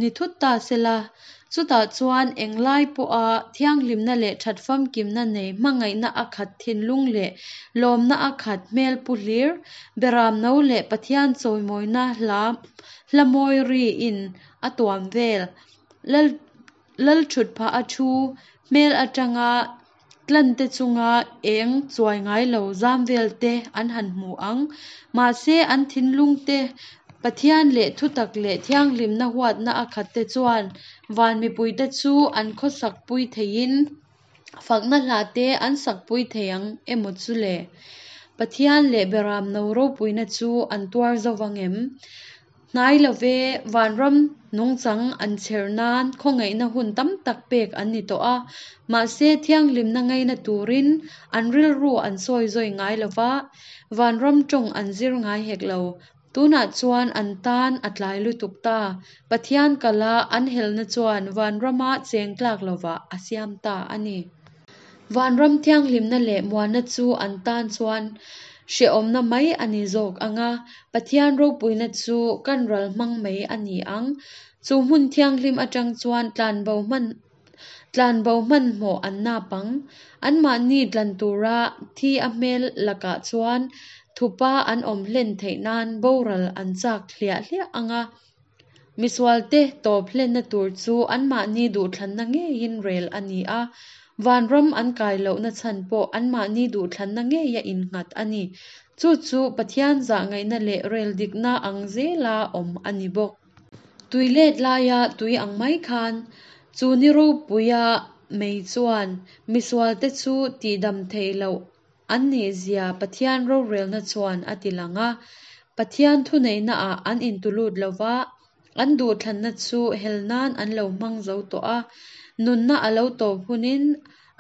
ni thut ta sela. Chutah chuan englai pawha thianghlimna leh that famkimna nei hmangaihna a khat thinlung leh lawmna a khat hmel pu hlir beram no leh Pathian chawimawina hla hla mawi ri in a tuam vel. Lal lal thut phah a thu hmel atanga Tlante chunga eng chuai ngai lo zam velte an han hmu ang. Mahse an thinlungte Pathian leh thutak leh thianghlimna huatna a khatte chuan van mipuite chu an khawsakpui theiin fakna hlate an sakpui thei ang emaw chu le? Pathian leh Beramno ropuina chu an tuar zo vang em? Hnai love, vanram nungchang an chher nan khawngaihna hun tam tak pek an ni tawh a, mahse thianghlimna ngaina turin an rilru an sawi zawi ngai lova, vanram tawng an zir ngai hek lo. Tunah chuan an tan a tlai lutuk ta. Pathian kala an helna chuan vanrama cheng tlak lovah a siam ta a ni. Vanram thianghlimna leh muanna chu an tan chuan hrehawmna mai a ni zawk ang a, Pathian ropuina chu kan ral hmang mai a ni ang. Chu hmun thianghlim atang chuan tlanbo hman tlanbo hmanhmawh an nap ang. Anmahni tlan tura thi a hmel lakah chuan thupa an awm hlen theih nan boral an chak hliah hliah ang a. Misualte tawp hlenna tur chu anmahni duhthlanna ngeiin rel a ni a, vanram an kai lohna chhan pawh anmahni duhthlanna ngeia innghat a ni. Chu chu Pathian zahngaihna leh rel dikna ang zela awm a ni bawk. Tui let laia tui ang mai khan chu ni ropuia mei chuan misualte chu tihdam theih loh an nihzia Pathian rorelna chuan a tilang a. Pathian thuneihnaah an intulut lova, an duhthlanna chu hel nan an lo hmang zo tawh a. Nunna a lo tawp hunin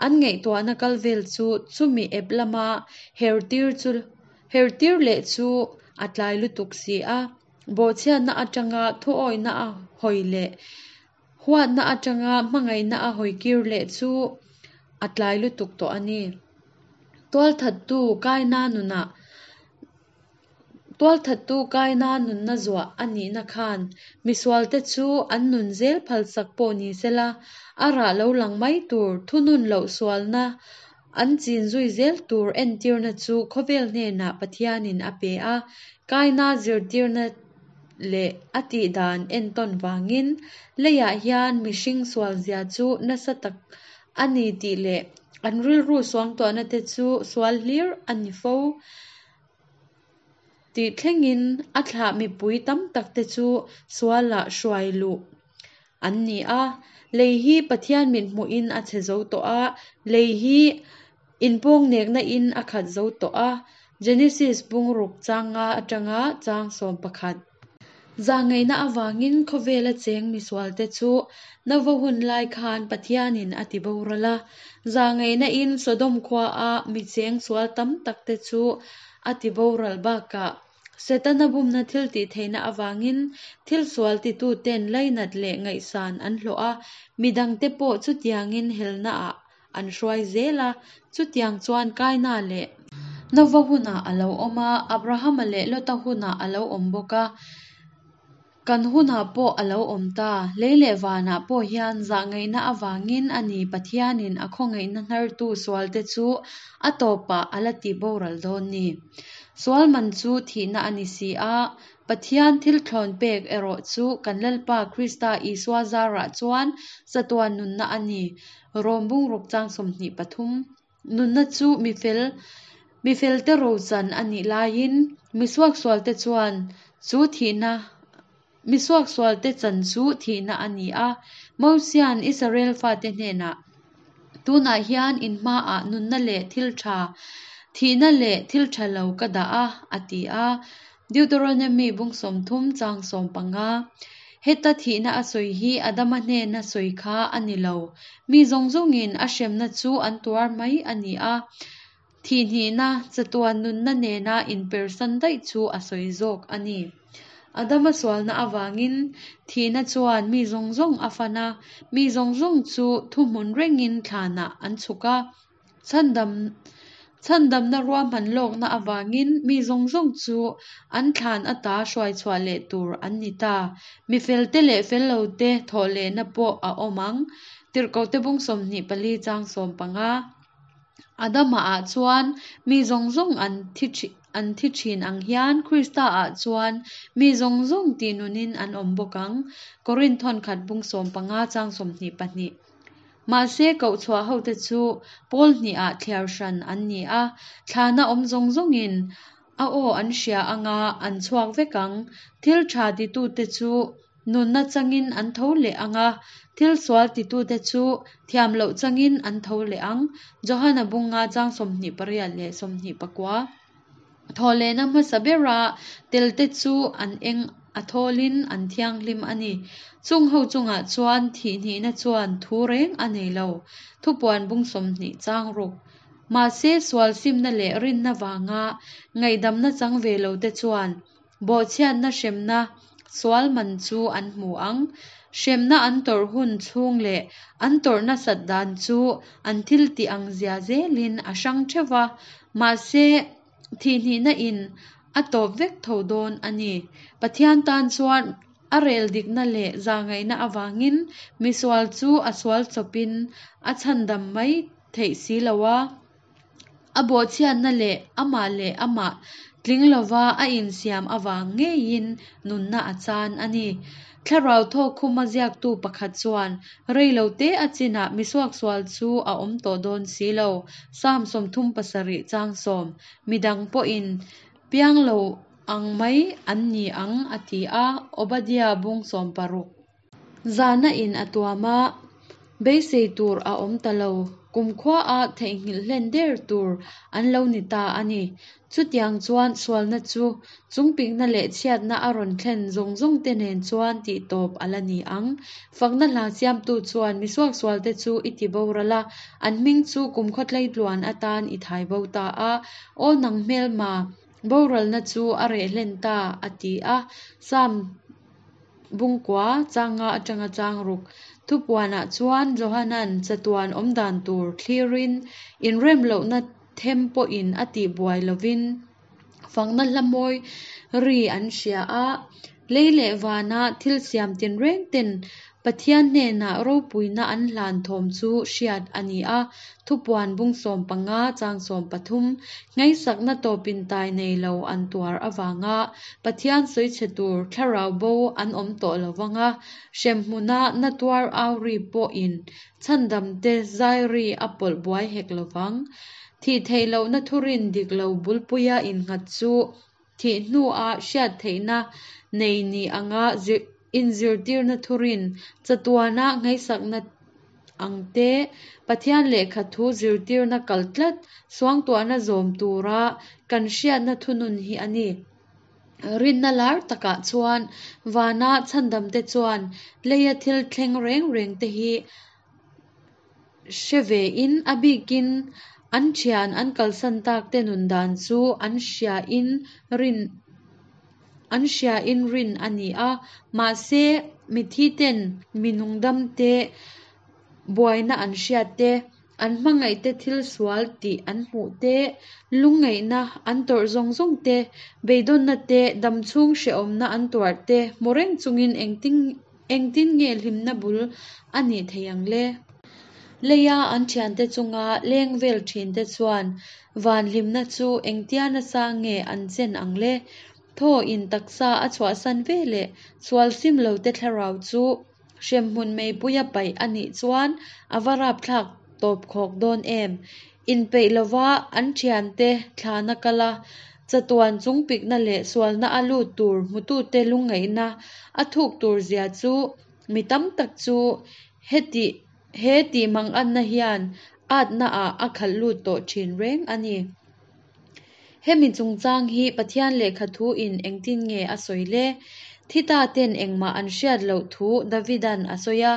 an ngaihtuahna kal vel chu chumi ep lama hertir chu hertir leh chu a tlai lutuk si a. Bawhchhiatna atanga thuawihna a hawi leh huatna atanga hmangaihna a hawi kir leh chu a tlai lutuk tawh a ni. Tualthattu Kaina nunah Tualthattu Kaina nunna zuah a nihna khan misualte chu an nun zel phalsak pawh ni sela, a rah lo lang mai tur thunun loh sualna an chin zui zel tur entirna chu khawvel hnenah Pathianin a pe a. Kaina zirtirna leh a tihdan entawn vangin leiah hian mihring sualzia chu nasa tak a ni tih leh an rilru suangtuahna te chu sual hlir a ni fo tih thlengin a thlah mipui tam tak te chu sualah hruai luh an ni a. Lei hi Pathian mithmuhin a chhe zo tawh a, lei hi inpawngnekna in a khat zo tawh a. Genesis bung ruk changa atanga chang sawm pakhat. Zahngaihna avangin khawvela cheng misualte chu Nova hun lai khan Pathianin a tiboral a. Zahngaihna in Sodom khua a mi cheng sual tam tak te chu a tiboral bakah Setana bumna thil tihtheihna avangin thil sual tituten lainat leh ngaihsan an hlawh a, midangte pawh chutiangin helna ah an hruai zel a. Chutiang chuan Kaina leh Nova hunah a lo awm a, Abrahama leh Lota hunah a lo awm bawk a, kan hunah pawh a lo awm ta. Lei leh vanah pawh hian zahngaihna avangin a ni Pathianin a khawngaihna hnartu sualte chu a tawpah a la tiboral dawn ni. Sual man chu thihna a ni si a, Pathian thil thlawn pek erawh chu kan Lalpa Krista Isua zarah chuan chatuan nunna a ni. Rom bung ruk chang sawmhnih pathum. Nunna chu mifel mifelte rochan a nih laiin misuak sualte chuan chu thihna misuak sualte chan chu thihna a ni a. Mosian Israel fate hnenah tunah hian in hmaah nunna leh thil tha thihna leh thil tha lo ka dah a a ti a. Deuteronomy bung sawmthum chang sawm panga. Heta thihna a sawi hi Adama hnena sawi kha a ni lo. Mi zawng zawngin a hremna chu an tuar mai a ni a. Thihnihna chatuan nunna nena inpersan daih chu a sawi zawk a ni. Adama sualna avangin thihna chuan mi zawng zawng a fan a, mi zawng zawng chu thuhmun rengin thlanah an chhuk a. Chhandam Chhandamna ruahman lawkna avangin mi zawng zawng chu an thlan ata hruai chhuah leh tur an ni ta. Mi felte leh fel lote thawhlehna pawh a awm ang. Tirhkohte bung sawmhnih pali chang sawm panga. Adama ah chuan mi zawng zawng an thi an thi thin ang hian Krista ah chuan mi zawng zawng tihnunin an awm bawk ang. Korinth thawnkhat bung sawm panga chang sawmhnih pahnih. Mahse koh chhuah hote chu pawl hnihah thliar hran an ni a, thlana awm zawng zawngin a aw an hria anga an chhuak vek ang. Thil tha titute chu nunna changin an tho leh ang a, thil sual titute chu thiam loh changin an tho leh ang. Johana bunga chang sawmhnih pariat leh sawmhnih pakua. Thawhlehna hmasa bera telte chu an eng a thawlin an thianghlim a ni. Chung ho chungah chuan thih hnihna chuan thu reng a nei lo. Thupuan bung sawmhnih chang ruk. Mahse sual simna leh rinna vanga ngaihdamna chang ve lo te chuan bawhchhiatna hremna sual man chu an hmu ang. Hremna an tawrh hun chhung leh an tawrh nasat dan chu an thil tih ang zia zelin a hrang theuh va, mahse thih hnihna in a tawp vek tho dawn a ni. Pathian tan chuan a rel dikna leh zahngaihna avangin misual chu a sual chawpin a chhandam mai theih si lo a. A bawhchhiatna leh amah leh amah tling lova a insiam avang ngeiin nunna a chan a ni. Thlarau thawk khuma ziaktu pakhat chuan rei lo te a chinah misuaksual chu a awm tawh dawn si lo. Psalm sawmthum pasarih chang sawm. Midang pawhin piang lo ang mai an ni ang a ti a, Obadiah bung sawm paruk. Zahna in a tuam a, beisei tur a awm ta lo. Kumkhua a theihnghilh hlen der tur an lo ni ta a ni. Chutiang chuan sualna chu chungpikna leh chhiatna a rawn thlen zawng zawng te nen chuan tih tawp a la ni ang. Fakna hla siamtu chuan misuaksualte chu i ti boral a, an hming chu kumkhaw tleitluan atan i thai bo ta a. Aw nang hmelma, boralna chu a reh hlen ta, a ti a. Psalm bungkua changa atanga chang ruk. Thupuanah chuan Johanan chatuan awm dan tur thlirin inrem lohna them pawhin a tih buai lovin fakna hla mawi ri an hria a. Lei leh vana thil siam tinreng ten Pathian hnenah ropuina an hlan thawm chu hriat a ni a. Thupuan bung sawm panga chang sawm pathum. Ngaihsakna tawpin tai nei lo an tuar avanga Pathian sawichhe tur thlarau bo an awm tawh lovanga hremhmuna na tuar au ri pawhin chhandam te zai ri a pawlh buai hek lovang. Thih theih lohna thurin dik lo bulpuia innghat chu thih hnua hriat theihna nei ni anga inzirtirna thurin chatuana ngaihsakna ang te Pathian lehkha thu zirtirna kal tlat suangtuahna zawm tura kan hriatna thunun hi a ni. Rinna lar takah chuan vana chhandam te chuan leia thil thleng reng reng te hi hre ve in a bikin an thian an kalsan tak te nun dan chu an hria in rin an hria in rin a ni a. Mahse mithi ten minung dam te buaina an hriat te, an hmangaih te thil sual tih an hmuh te, lungngaihna an tawrh zawng zawng te, beidawnna te, damchhung hrehawmna an tuar te hmu reng chungin engtin engtin nge hlimna bul a nih thei ang le. Leia an thiante chunga leng vel thin te chuan van hlimna chu engtia nasa nge an chen ang le. Thaw in taksa a chhuahsan ve leh sual sim lo te thlarau chu hremhmun meipuia paih a nih chuan a va rapthlak tawp khawk dawn em. Inpeih lova an thiante thlana kala chatuan chungpikna leh sualna a lut tur hmutute lungngaihna a thuk tur zia chu mi tam tak chu heti he tih manganna hian atna ah a khalh lut tawh thin reng a ni. Hemi chungchang hi Pathian lehkha thu in engtin nge a sawi le. Thi ta ten engmah an hriat loh thu Davidan a sawi a.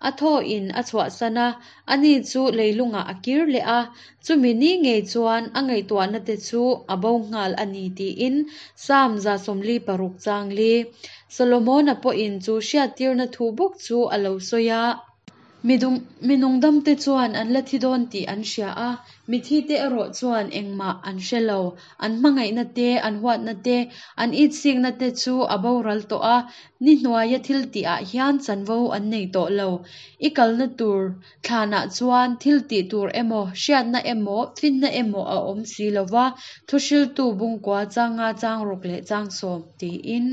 A thaw in a chhuahsan a, ani chu leilungah a kir leh a. Chumi ni ngei chuan a ngaihtuahna te chu a bo nghal a ni tiin Psalm za sawmli paruk chang li. Solomona pawhin chu hriattirna thu bawk chu a lo sawi a. Midung minung dam te chuan an la thi dawn tih an hria a, mithi te erawh chuan engmah an hre lo. An hmangaihna te, an huatna te, an itsikna te chu a boral tawh a, ni hnuaia thil tih ah hian chanvo an nei tawh lo. I kalna tur thlanah chuan thil tih tur emaw, hriatna emaw, finna emaw a awm si lova, thuhriltu bungkua changa chang ruk leh chang sawm tiin.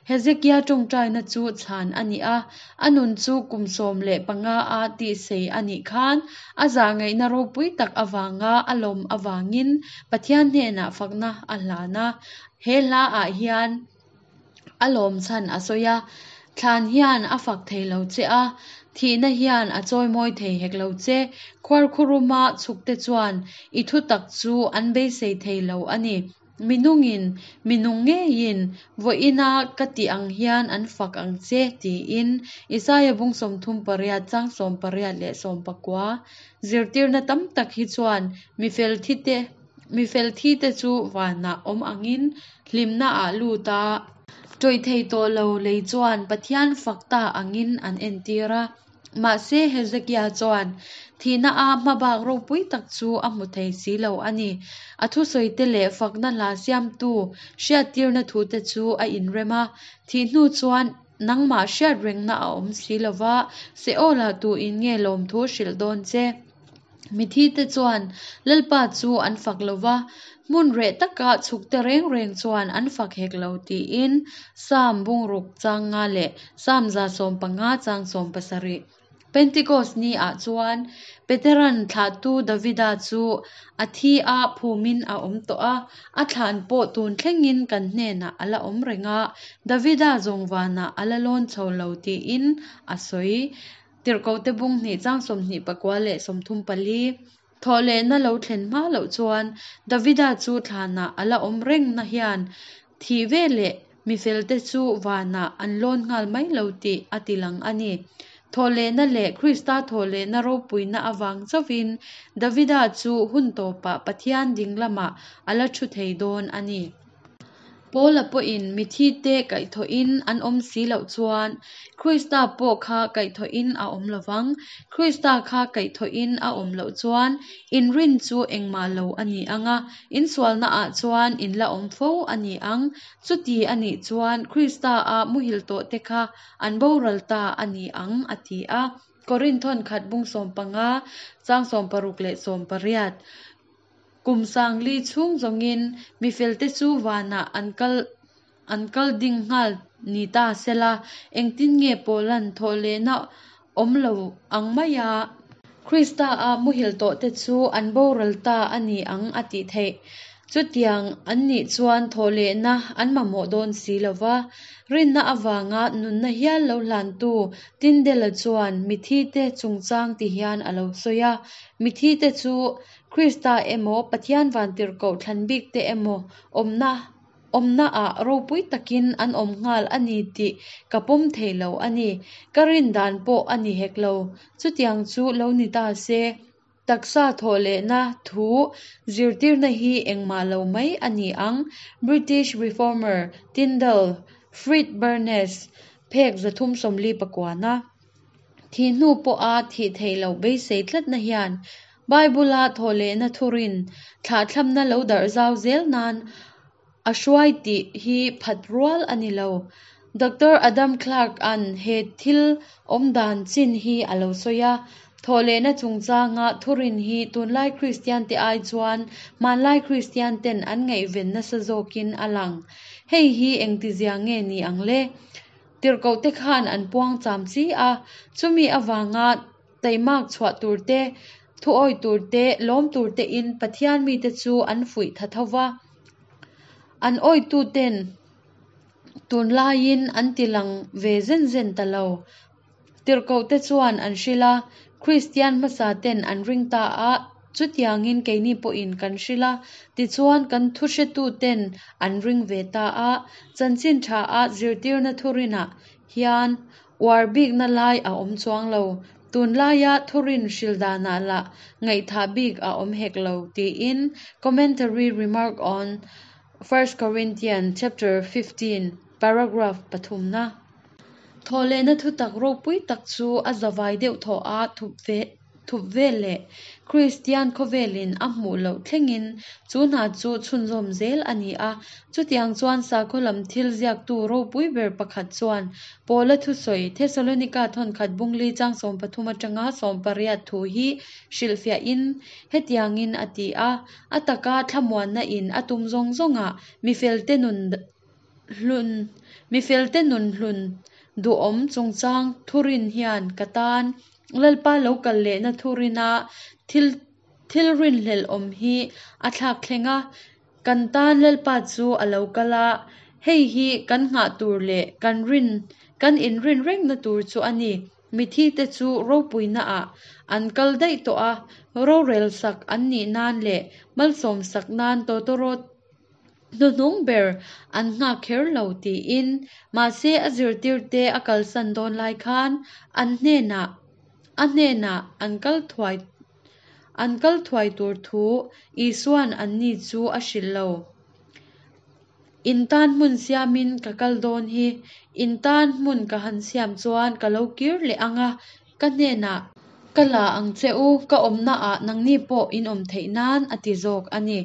Hezekia ṭawngṭaina chu chhan a ni a, a nun chu kum sawm leh panga a tihsei a nih khan a zahngaihna ropui tak avanga a lawm avangin Pathian hnenah fakna a hlan a. He hlaah hian a lawm chhan a sawi a, Thlan hian a fak thei lo che a, thihna hian a chawimawi thei hek lo che. Khuarkhuruma chhukte chuan i thutak chu an beisei thei lo a ni. Minungin, minung ngeiin, vawiina ka tih ang hian an fak ang che, tiin Isaia bung sawmthum pariat chang sawm pariat leh sawm pakua zirtirna tam tak hi chuan mifel thite mifel thite chu vanah awm angin hlimnaah lut a. Ṭawih thei tawh lo lei chuan Pathian fak ta angin an entir a. Mahse Hezekia chuan thihna a hmabak ropui tak chu a hmu thei si lo a ni. A thusawite leh fakna hla siamtu hriattirna thute chu a inrem a. Thih hnu chuan nangmah hriat rengna a awm si lo va, Seolah tuin nge lawmthu hrilh dawn che? Mithite chuan Lalpa chu an fak lo va, hmun reh taka chhukte reng reng chuan an fak hek lo tiin Psalm bungruk chang nga leh Psalm za sawm panga chang sawm pasarih. Pentecost ni ah chuan Peteran thlahtu Davida chu a thi a phumin a awm tawh a, a thlan pawh tun thlengin kan hnenah a la awm reng a, Davida zawng vanah a la lawn chho lo tiin a sawi. Tirhkohte bung hnih chang sawmhnih pakua leh sawmthum pali. Thawhlehna lo thlen hma loh chuan Davida chu thlanah a la awm reng na hian thih veleh mifelte chu vanah an lawn nghal mai lo tih a tilang a ni. Thawhlehna leh Krista thawhlehna ropuina avang chauhin Davida chu hun tawpah Pathian ding lamah a la thu thei dawn a ni. Paula pawhin mithite kaihthawhin an awm si loh chuan Krista pawh kha kaihthawhin a awm lovang. Krista kha kaihthawhin a awm loh chuan in rin chu engmah lo a ni ang a, in sualnaah chuan in la awm fo a ni ang. Chuti a nih chuan Krista a muhil tawhte kha an boral ta a ni ang a ti a. Korinthon khat bung sawm panga chang sawm paruk leh sawm pariat. Kum sangli chhung zawngin mifelte chu vanah an kal an kal ding nghal ni ta sela, engtin nge Paulan thawhlehna awm lo ang mai a. Krista a muhil tawhte chu an boral ta a ni ang a tih theih. Chutiang an nih chuan thawhlehna an mamawh dawn si lo va. Rinna avanga nunna hial lo hlantu Tyndale-a chuan mithite chungchang ti hian a lo sawi a. Mithite chu Krista emaw Pathian vantirhkoh thlan bikte emaw awmna awmnaah ropui takin an awm nghal a ni tih ka pawm thei lo a ni. Ka rin dan pawh a ni hek lo. Chutiang chu lo ni ta se. Taksa thawhlehna thu zirtirna hi engmah lo mai a ni ang. British Reformer Tyndale Frith Barnes phek zathum sawmli pakuana. Thih hnu pawha thih theih loh beisei tlatna hian Bible-a thawhlehna thurin thlahthlapna lo darh zau zel nan a hruai tih hi phat rual a ni lo. Doctor Adam Clarke-a'n he thil awm dan chin hi a lo sawi a. Thawhlehna chungchanga thurin hi tunlai Kristian te ai chuan hmanlai Kristian ten an ngaihven nasa zawkin a lang. Hei hi engtizia nge ni ang le? Tirhkohte khan an puang cham chi a, chumi avanga taimak chhuah tur te, thuawi tur te, lawm tur te in Pathian mite chu an fuih tha tho va. An awitu ten tunlaiin an tilang ve zen zen ta lo. Tirhkohte chuan an hril a, Kristian hmasa ten an ring ta a, chutiangin keini pawhin kan hril a, tichuan kan thuhretu ten an ring ve ta a. Chanchin tha a zirtirna thurinah hian uar bikna lai a awm chuang lo. Tunlaia thurin hril danah lah ngaihthah bik a awm hek lo tiin Commentary remark on First Corinthians chapter fifteen paragraph pathumna. Thawhlehna thutak ropui tak chu a zavai deuh thaw a thup ve thup vel leh Kristian khawvelin a hmuh loh thlengin chu hna chu chhunzawm zel a ni a. Chutiang chuan sakhaw lam thil ziaktu ropui ber pakhat chuan Paula thusawi Thessalonica thawnkhat bungli chang sawm pathum atanga sawm pariat thu hi hrilhfiahin hetiangin a ti a. A taka thlamuanna in a tum zawng zawngah mifelte nun hlun mifelte nun hlun duhawm chungchang thurin hian ka tan Lalpa lo kal lehna thurina thil thil rinhlelh awm hi a thlak thleng a, kan tan Lalpa chu a lo kal a, hei hi kan nghah tur leh kan rin kan inrin rengna tur chu a ni. Mithi te chu ropuina ah an kal daih tawh a, rorel sak an nih nan leh malsawm sak nan tawtawrawt hnuhnung ber an nghak kher lo tiin. Mahse a zirtirte a kalsan dawn lai khan an hnenah a hnenah an kal thuai an kal thuai tur thu Isuan anni chu a hrilh lo. In tan hmun siamin ka kal dawn hi, in tan hmun ka han siam chuan ka lo kir leh ang a, ka hnenah ka la ang che u, ka awmna ah nangni pawh in awm theih nan a ti zawk a ni.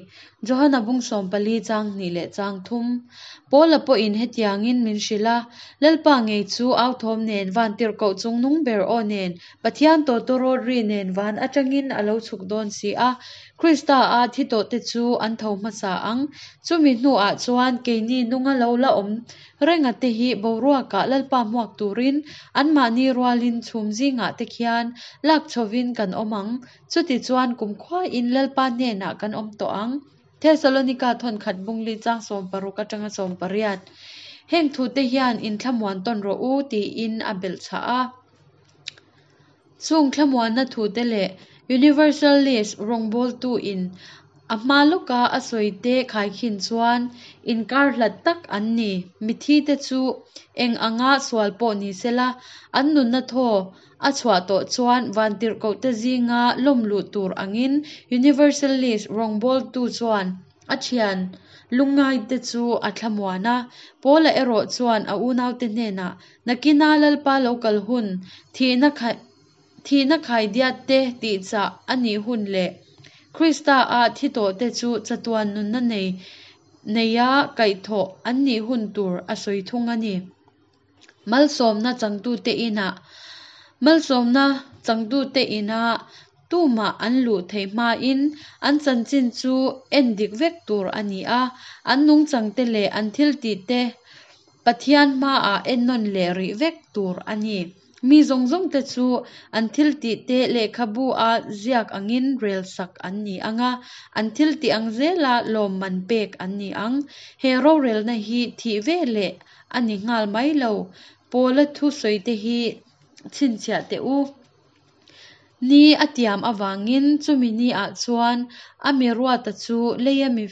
Johana bung sawm pali chang hnih leh chang thum. Paula pawhin hetiangin min hrilh a, Lalpa ngei chu au thawm nen vantirhkoh chungnung ber aw nen Pathian tawtawrawt ri nen van atangin a lo chhuk dawn si a, Krista a thi tawhte chu an tho hmasa ang. Chumi hnuah chuan keini nunga lo la awm renga te hi boruakah Lalpa hmuak turin anmahni rualin chhum zingah te khian lak chhovin kan awm ang. Chuti chuan kumkhuain Lalpa hnenah kan awm tawh ang. Thesalonika thawn khat bungli chang sawm paruk atanga sawm pariat. Heng thu te hian in thlamuan tawn rawh u tiin a belh chhah a. Chung thlamuanna thu te leh Universalist rawngbawltu in a hma lawka a sawi te khaikhin chuan inkar hlat tak an ni. Mithi te chu eng anga sual pawh ni sela, an nunna thaw a chhuah tawh chuan vantirhkoh te zinga lawm luh tur angin Universalist rawngbawltu chuan a thian lungngai te chu a thlamuan a. Paula erawh chuan a unaute hnenah nakina Lalpa lo kal hun thihna khai thihna khaidiat te tihchah a nih hun leh Krista a thi tawh te chu chatuan nunna nei neia kaihthawh an nih hun tur a sawi thung a ni. Malsawmna changtute inah malsawmna changtute inah tumah an luh theih hmain an chanchin chu en dik vek tur a ni a, an nungchang te leh an thil tih te Pathian hmaah ennawn leh rih vek tur a ni. Mi zawng zawng te chu an thil tih te lehkhabu a ziak angin rel sak an ni anga, an thil tih ang zela lawmman pek an ni ang. He rorelna hi thih ve leh a ni nghal mai lo. Paula thu sawi te hi chhinchhiah teh u. Ni a tiam awangin chumi ni ah chuan a mi ruata chu leia mi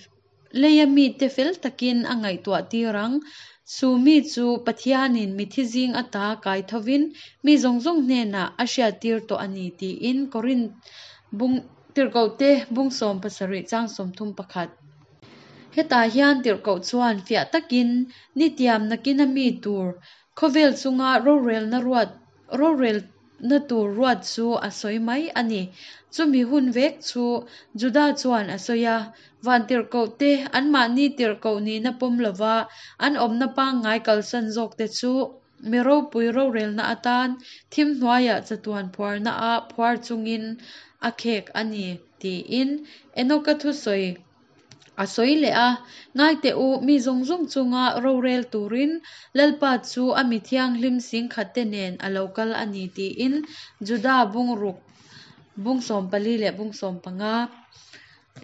leia mi te fel takin a ngaihtuah tir ang. Chu mi chu Pathianin mithi zing ata kai thovin mi zawng zawng hnenah a hriat tir tawh a ni tiin Korin bung tirhkoh te bung sawm pasarih chang sawm thum pakhat. Hetah hian tirhkoh chuan fiah takin ni tiam nakina mi tur khawvel chunga rorelna ruat rorelna tur ruat chu a sawi mai a ni. Chumi hun vek chu Juda chuan a sawi a, vantirhkoh te anmahni tirhkoh nihna pawm lova an awmna pangngai kalsan zawk te chu mi ropui rorelna atan thim hnuaiah chatuan phuarna a phuar chungin a khek a ni tiin Enoka thu sawi a sawi leh a, ngai teh u mi zawng zawng chunga rorel turin Lalpa chu a mi thianghlim singkhat te nen a lo kal a ni tiin Juda bung ruk bung sawm pali leh bung sawm panga.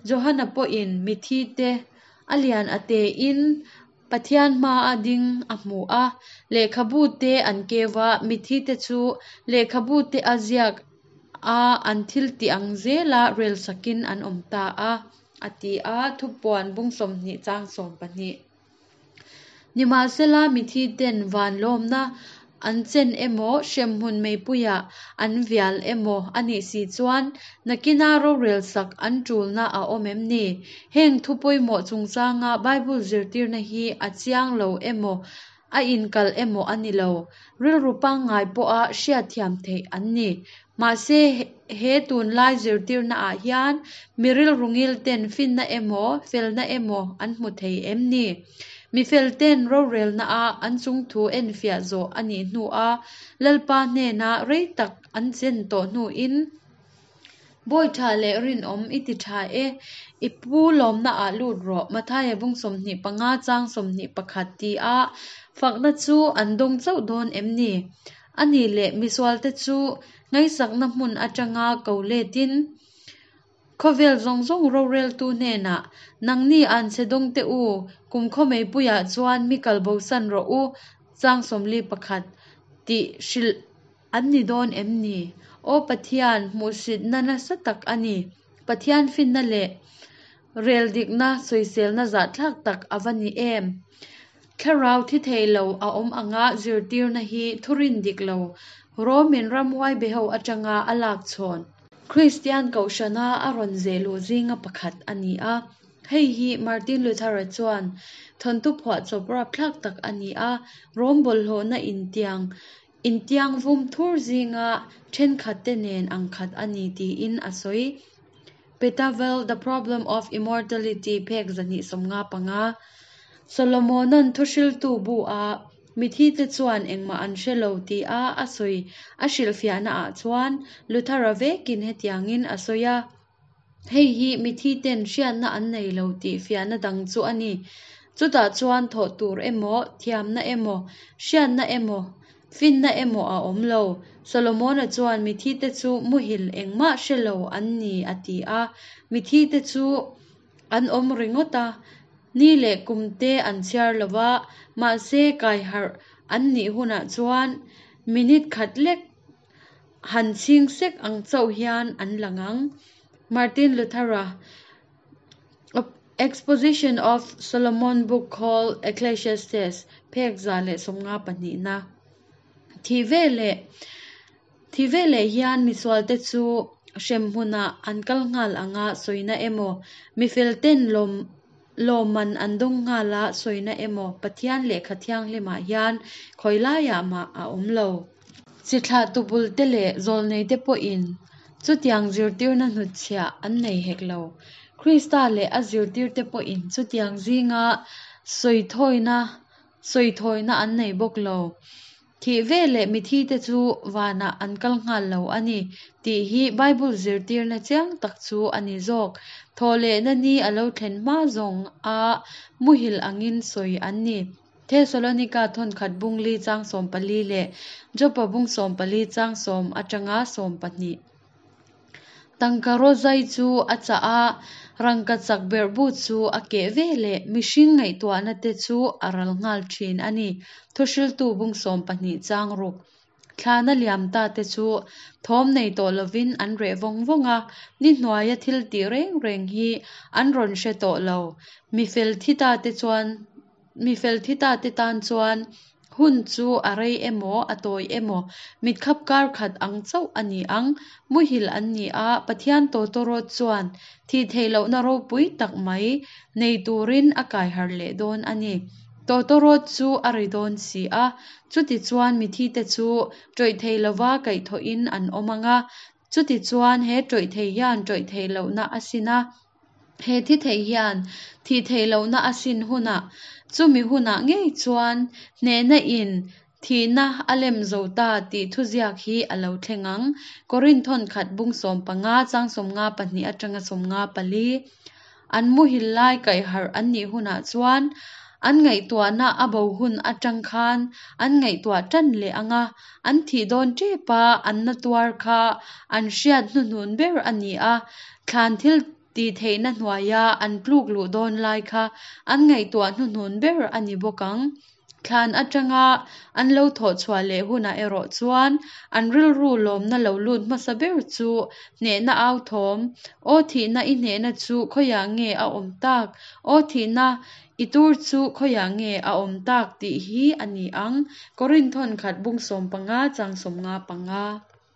Johana pawhin mithi te a lian a te in Pathian hma a ding a hmu a, lehkhabu te an keu a, mithi te chu lehkhabu te a ziak a an thil tih ang zela rel sakin an awm ta a, a ti a thupuan bung sawmhnih chang sawm pahnih. Nimahsela mithi ten van lawmna an chen emaw hremhmun meipuiah an vial emaw a nih si chuan nakina rorel sak an tulna a awm em ni. Heng thu pawimawh chungchanga Bible zirtirna hi a chiang lo emaw a inkal emaw a ni lo. Rilru pangngai pawha hriat thiam theih an ni. Mahse he tunlai zirtirna ah hian mi rilru ngil ten finna emaw felna emaw an hmu thei em ni. Mi fel ten rorelna a an chung thu en fiah zawh a nih hnu a, Lalpa hnena rei tak an chen tawh hnuin Bawi ṭha le rinawm i ti ṭha e, i pu lawmnak ah lut rawh, Matthaia bung sawmhnih panga chang sawmhnih pakhat tia fakna chu an dawng chauh dawn em ni? A nih leh misualte chu nghaisakna hmun aṭanga ko letin, khawvel zawng zawng roreltu hnenah, Nangni anchhe dawngte u, kumkhaw meipuiah chuan mi kalbosan rawh u, chang sawmli pakhat, tih hrilh an ni dawn em ni? Aw Pathian, hmuhsitna nasa tak a ni. Pathian finna leh reldikna sawiselna zahthlak tak a va ni em! Thlarau thi thei lo a awm anga zirtirna hi thurin dik lo, Romin ramhuai beho atanga a lak chhawn. Kristian Kohhrana a rawn zeh luh zinga pakhat a ni a. Hei hi Martin Luther-a chuan thawnthu phuahchawp rapthlak tak a ni a, Rom bawlhhlawhna intiang intiang vum thur zinga thenkhatte nen angkhat a ni tiin a sawi. Petavel, The Problem of Immortality phek zahnih sawmnga panga. Solomona'n thuhriltu bu a, Mithite chuan engmah an hre lo tia a sawi a hrilhfiahnaah chuan Luther-a vekin hetiangin a sawi a, Hei hi mithiten hriatna an nei lo tih fiahna dang chu a ni. Chutah chuan thawh tur emaw, thiamna emaw, hriatna emaw, finna emaw a awm lo. Solomona chuan mithite chu muhil engmah hre lo an ni a ti a. Mithite chu an awm ringawt a, ni leh kumte an chhiar lo va, mahse kai harh an nih hunah chuan minute khat lek han chhing sek ang chauh hian an lang ang. Martin Luther-a Exposition of Solomon Book Called Ecclesiastes phek za leh sawmnga pahnihna. Thi veleh Thi veleh hian misualte chu hremhmunah an kal nghal anga sawina emaw, mifelten lawm lawmman an dawng nghal a sawina emaw Pathian lehkha thianghlimah hian khawi laiah mah a awm lo. Chi thlahtu bulte leh zawlneite pawhin chutiang zirtirna hnutchhiah an nei hek lo. Krista leh a zirtirte pawhin chutiang zinga sawithawina sawithawina an nei bawk lo. Thih veleh mithite chu vanah an kal nghal lo a ni tih hi Bible zirtirna chiang tak chu a ni zawk. Thawhlehna ni a lo thlen hma zawng a muhil angin sawi an ni. Thesalonika thawnkhat bung li chang sawm pali leh Jopa bung sawm pali chang sawm atanga sawm pahnih. Tangka rawzai chu a chah a, rangkachak berhbu chu a keh veleh mihring ngaihtuahna te chu a ral nghal thin a ni. Thuhriltu bung sawm pahnih chang ruk. Thlana liam ta te chu thawm nei tawh lovin an reh vawng vawng a, ni hnuaia thil tih reng reng hi an rawn hre tawh lo. Mi fel thi ta te chuan mi fel thi ta te tan chuan hun chu a rei emaw a tawi emaw mitkhap kar khat ang chauh a ni ang. Muhil an ni a, Pathian tawtawrawt chuan thih theih lohna ropui tak mai nei turin a kai harh leh dawn a ni. Tawtawrawt chu a ri dawn si a, chutichuan mithite chu ṭawih thei lova kaihthawhin an awm ang a, chutichuan he ṭawih thei hian ṭawih theih lohna a sin a, he thi thei hian thih theih lohna a sin hunah, chumi hunah ngei chuan hnehna in thihna a lem zo ta tih thuziak hi a lo thleng ang. Korinth thawnkhat bung sawm panga chang sawmnga pahnih atanga sawmnga pali. An muhil lai kaihharh an nih hunah chuan an ngaihtuahna a bo hun atang khan an ngaihtuah tan leh ang a, an thih dawn tep a an na tuar kha an hriat hnuhnun ber a ni a, thlan thil tih theihna hnuaia an tluk luh dawn lai kha an ngaihtuah hnuhnun ber a ni bawk ang. Thlan atanga an lo thawh chhuah leh hunah erawh chuan an rilru lawmna lo lut hmasa ber chu hnehna au thawm, Aw thihna i hnehna chu khawiah nge a awm tak? Aw thihna i tur chu khawiah nge a awm tak? tih hi a ni ang. Korinth thawnkhat bung sawm panga chang sawmnga panga.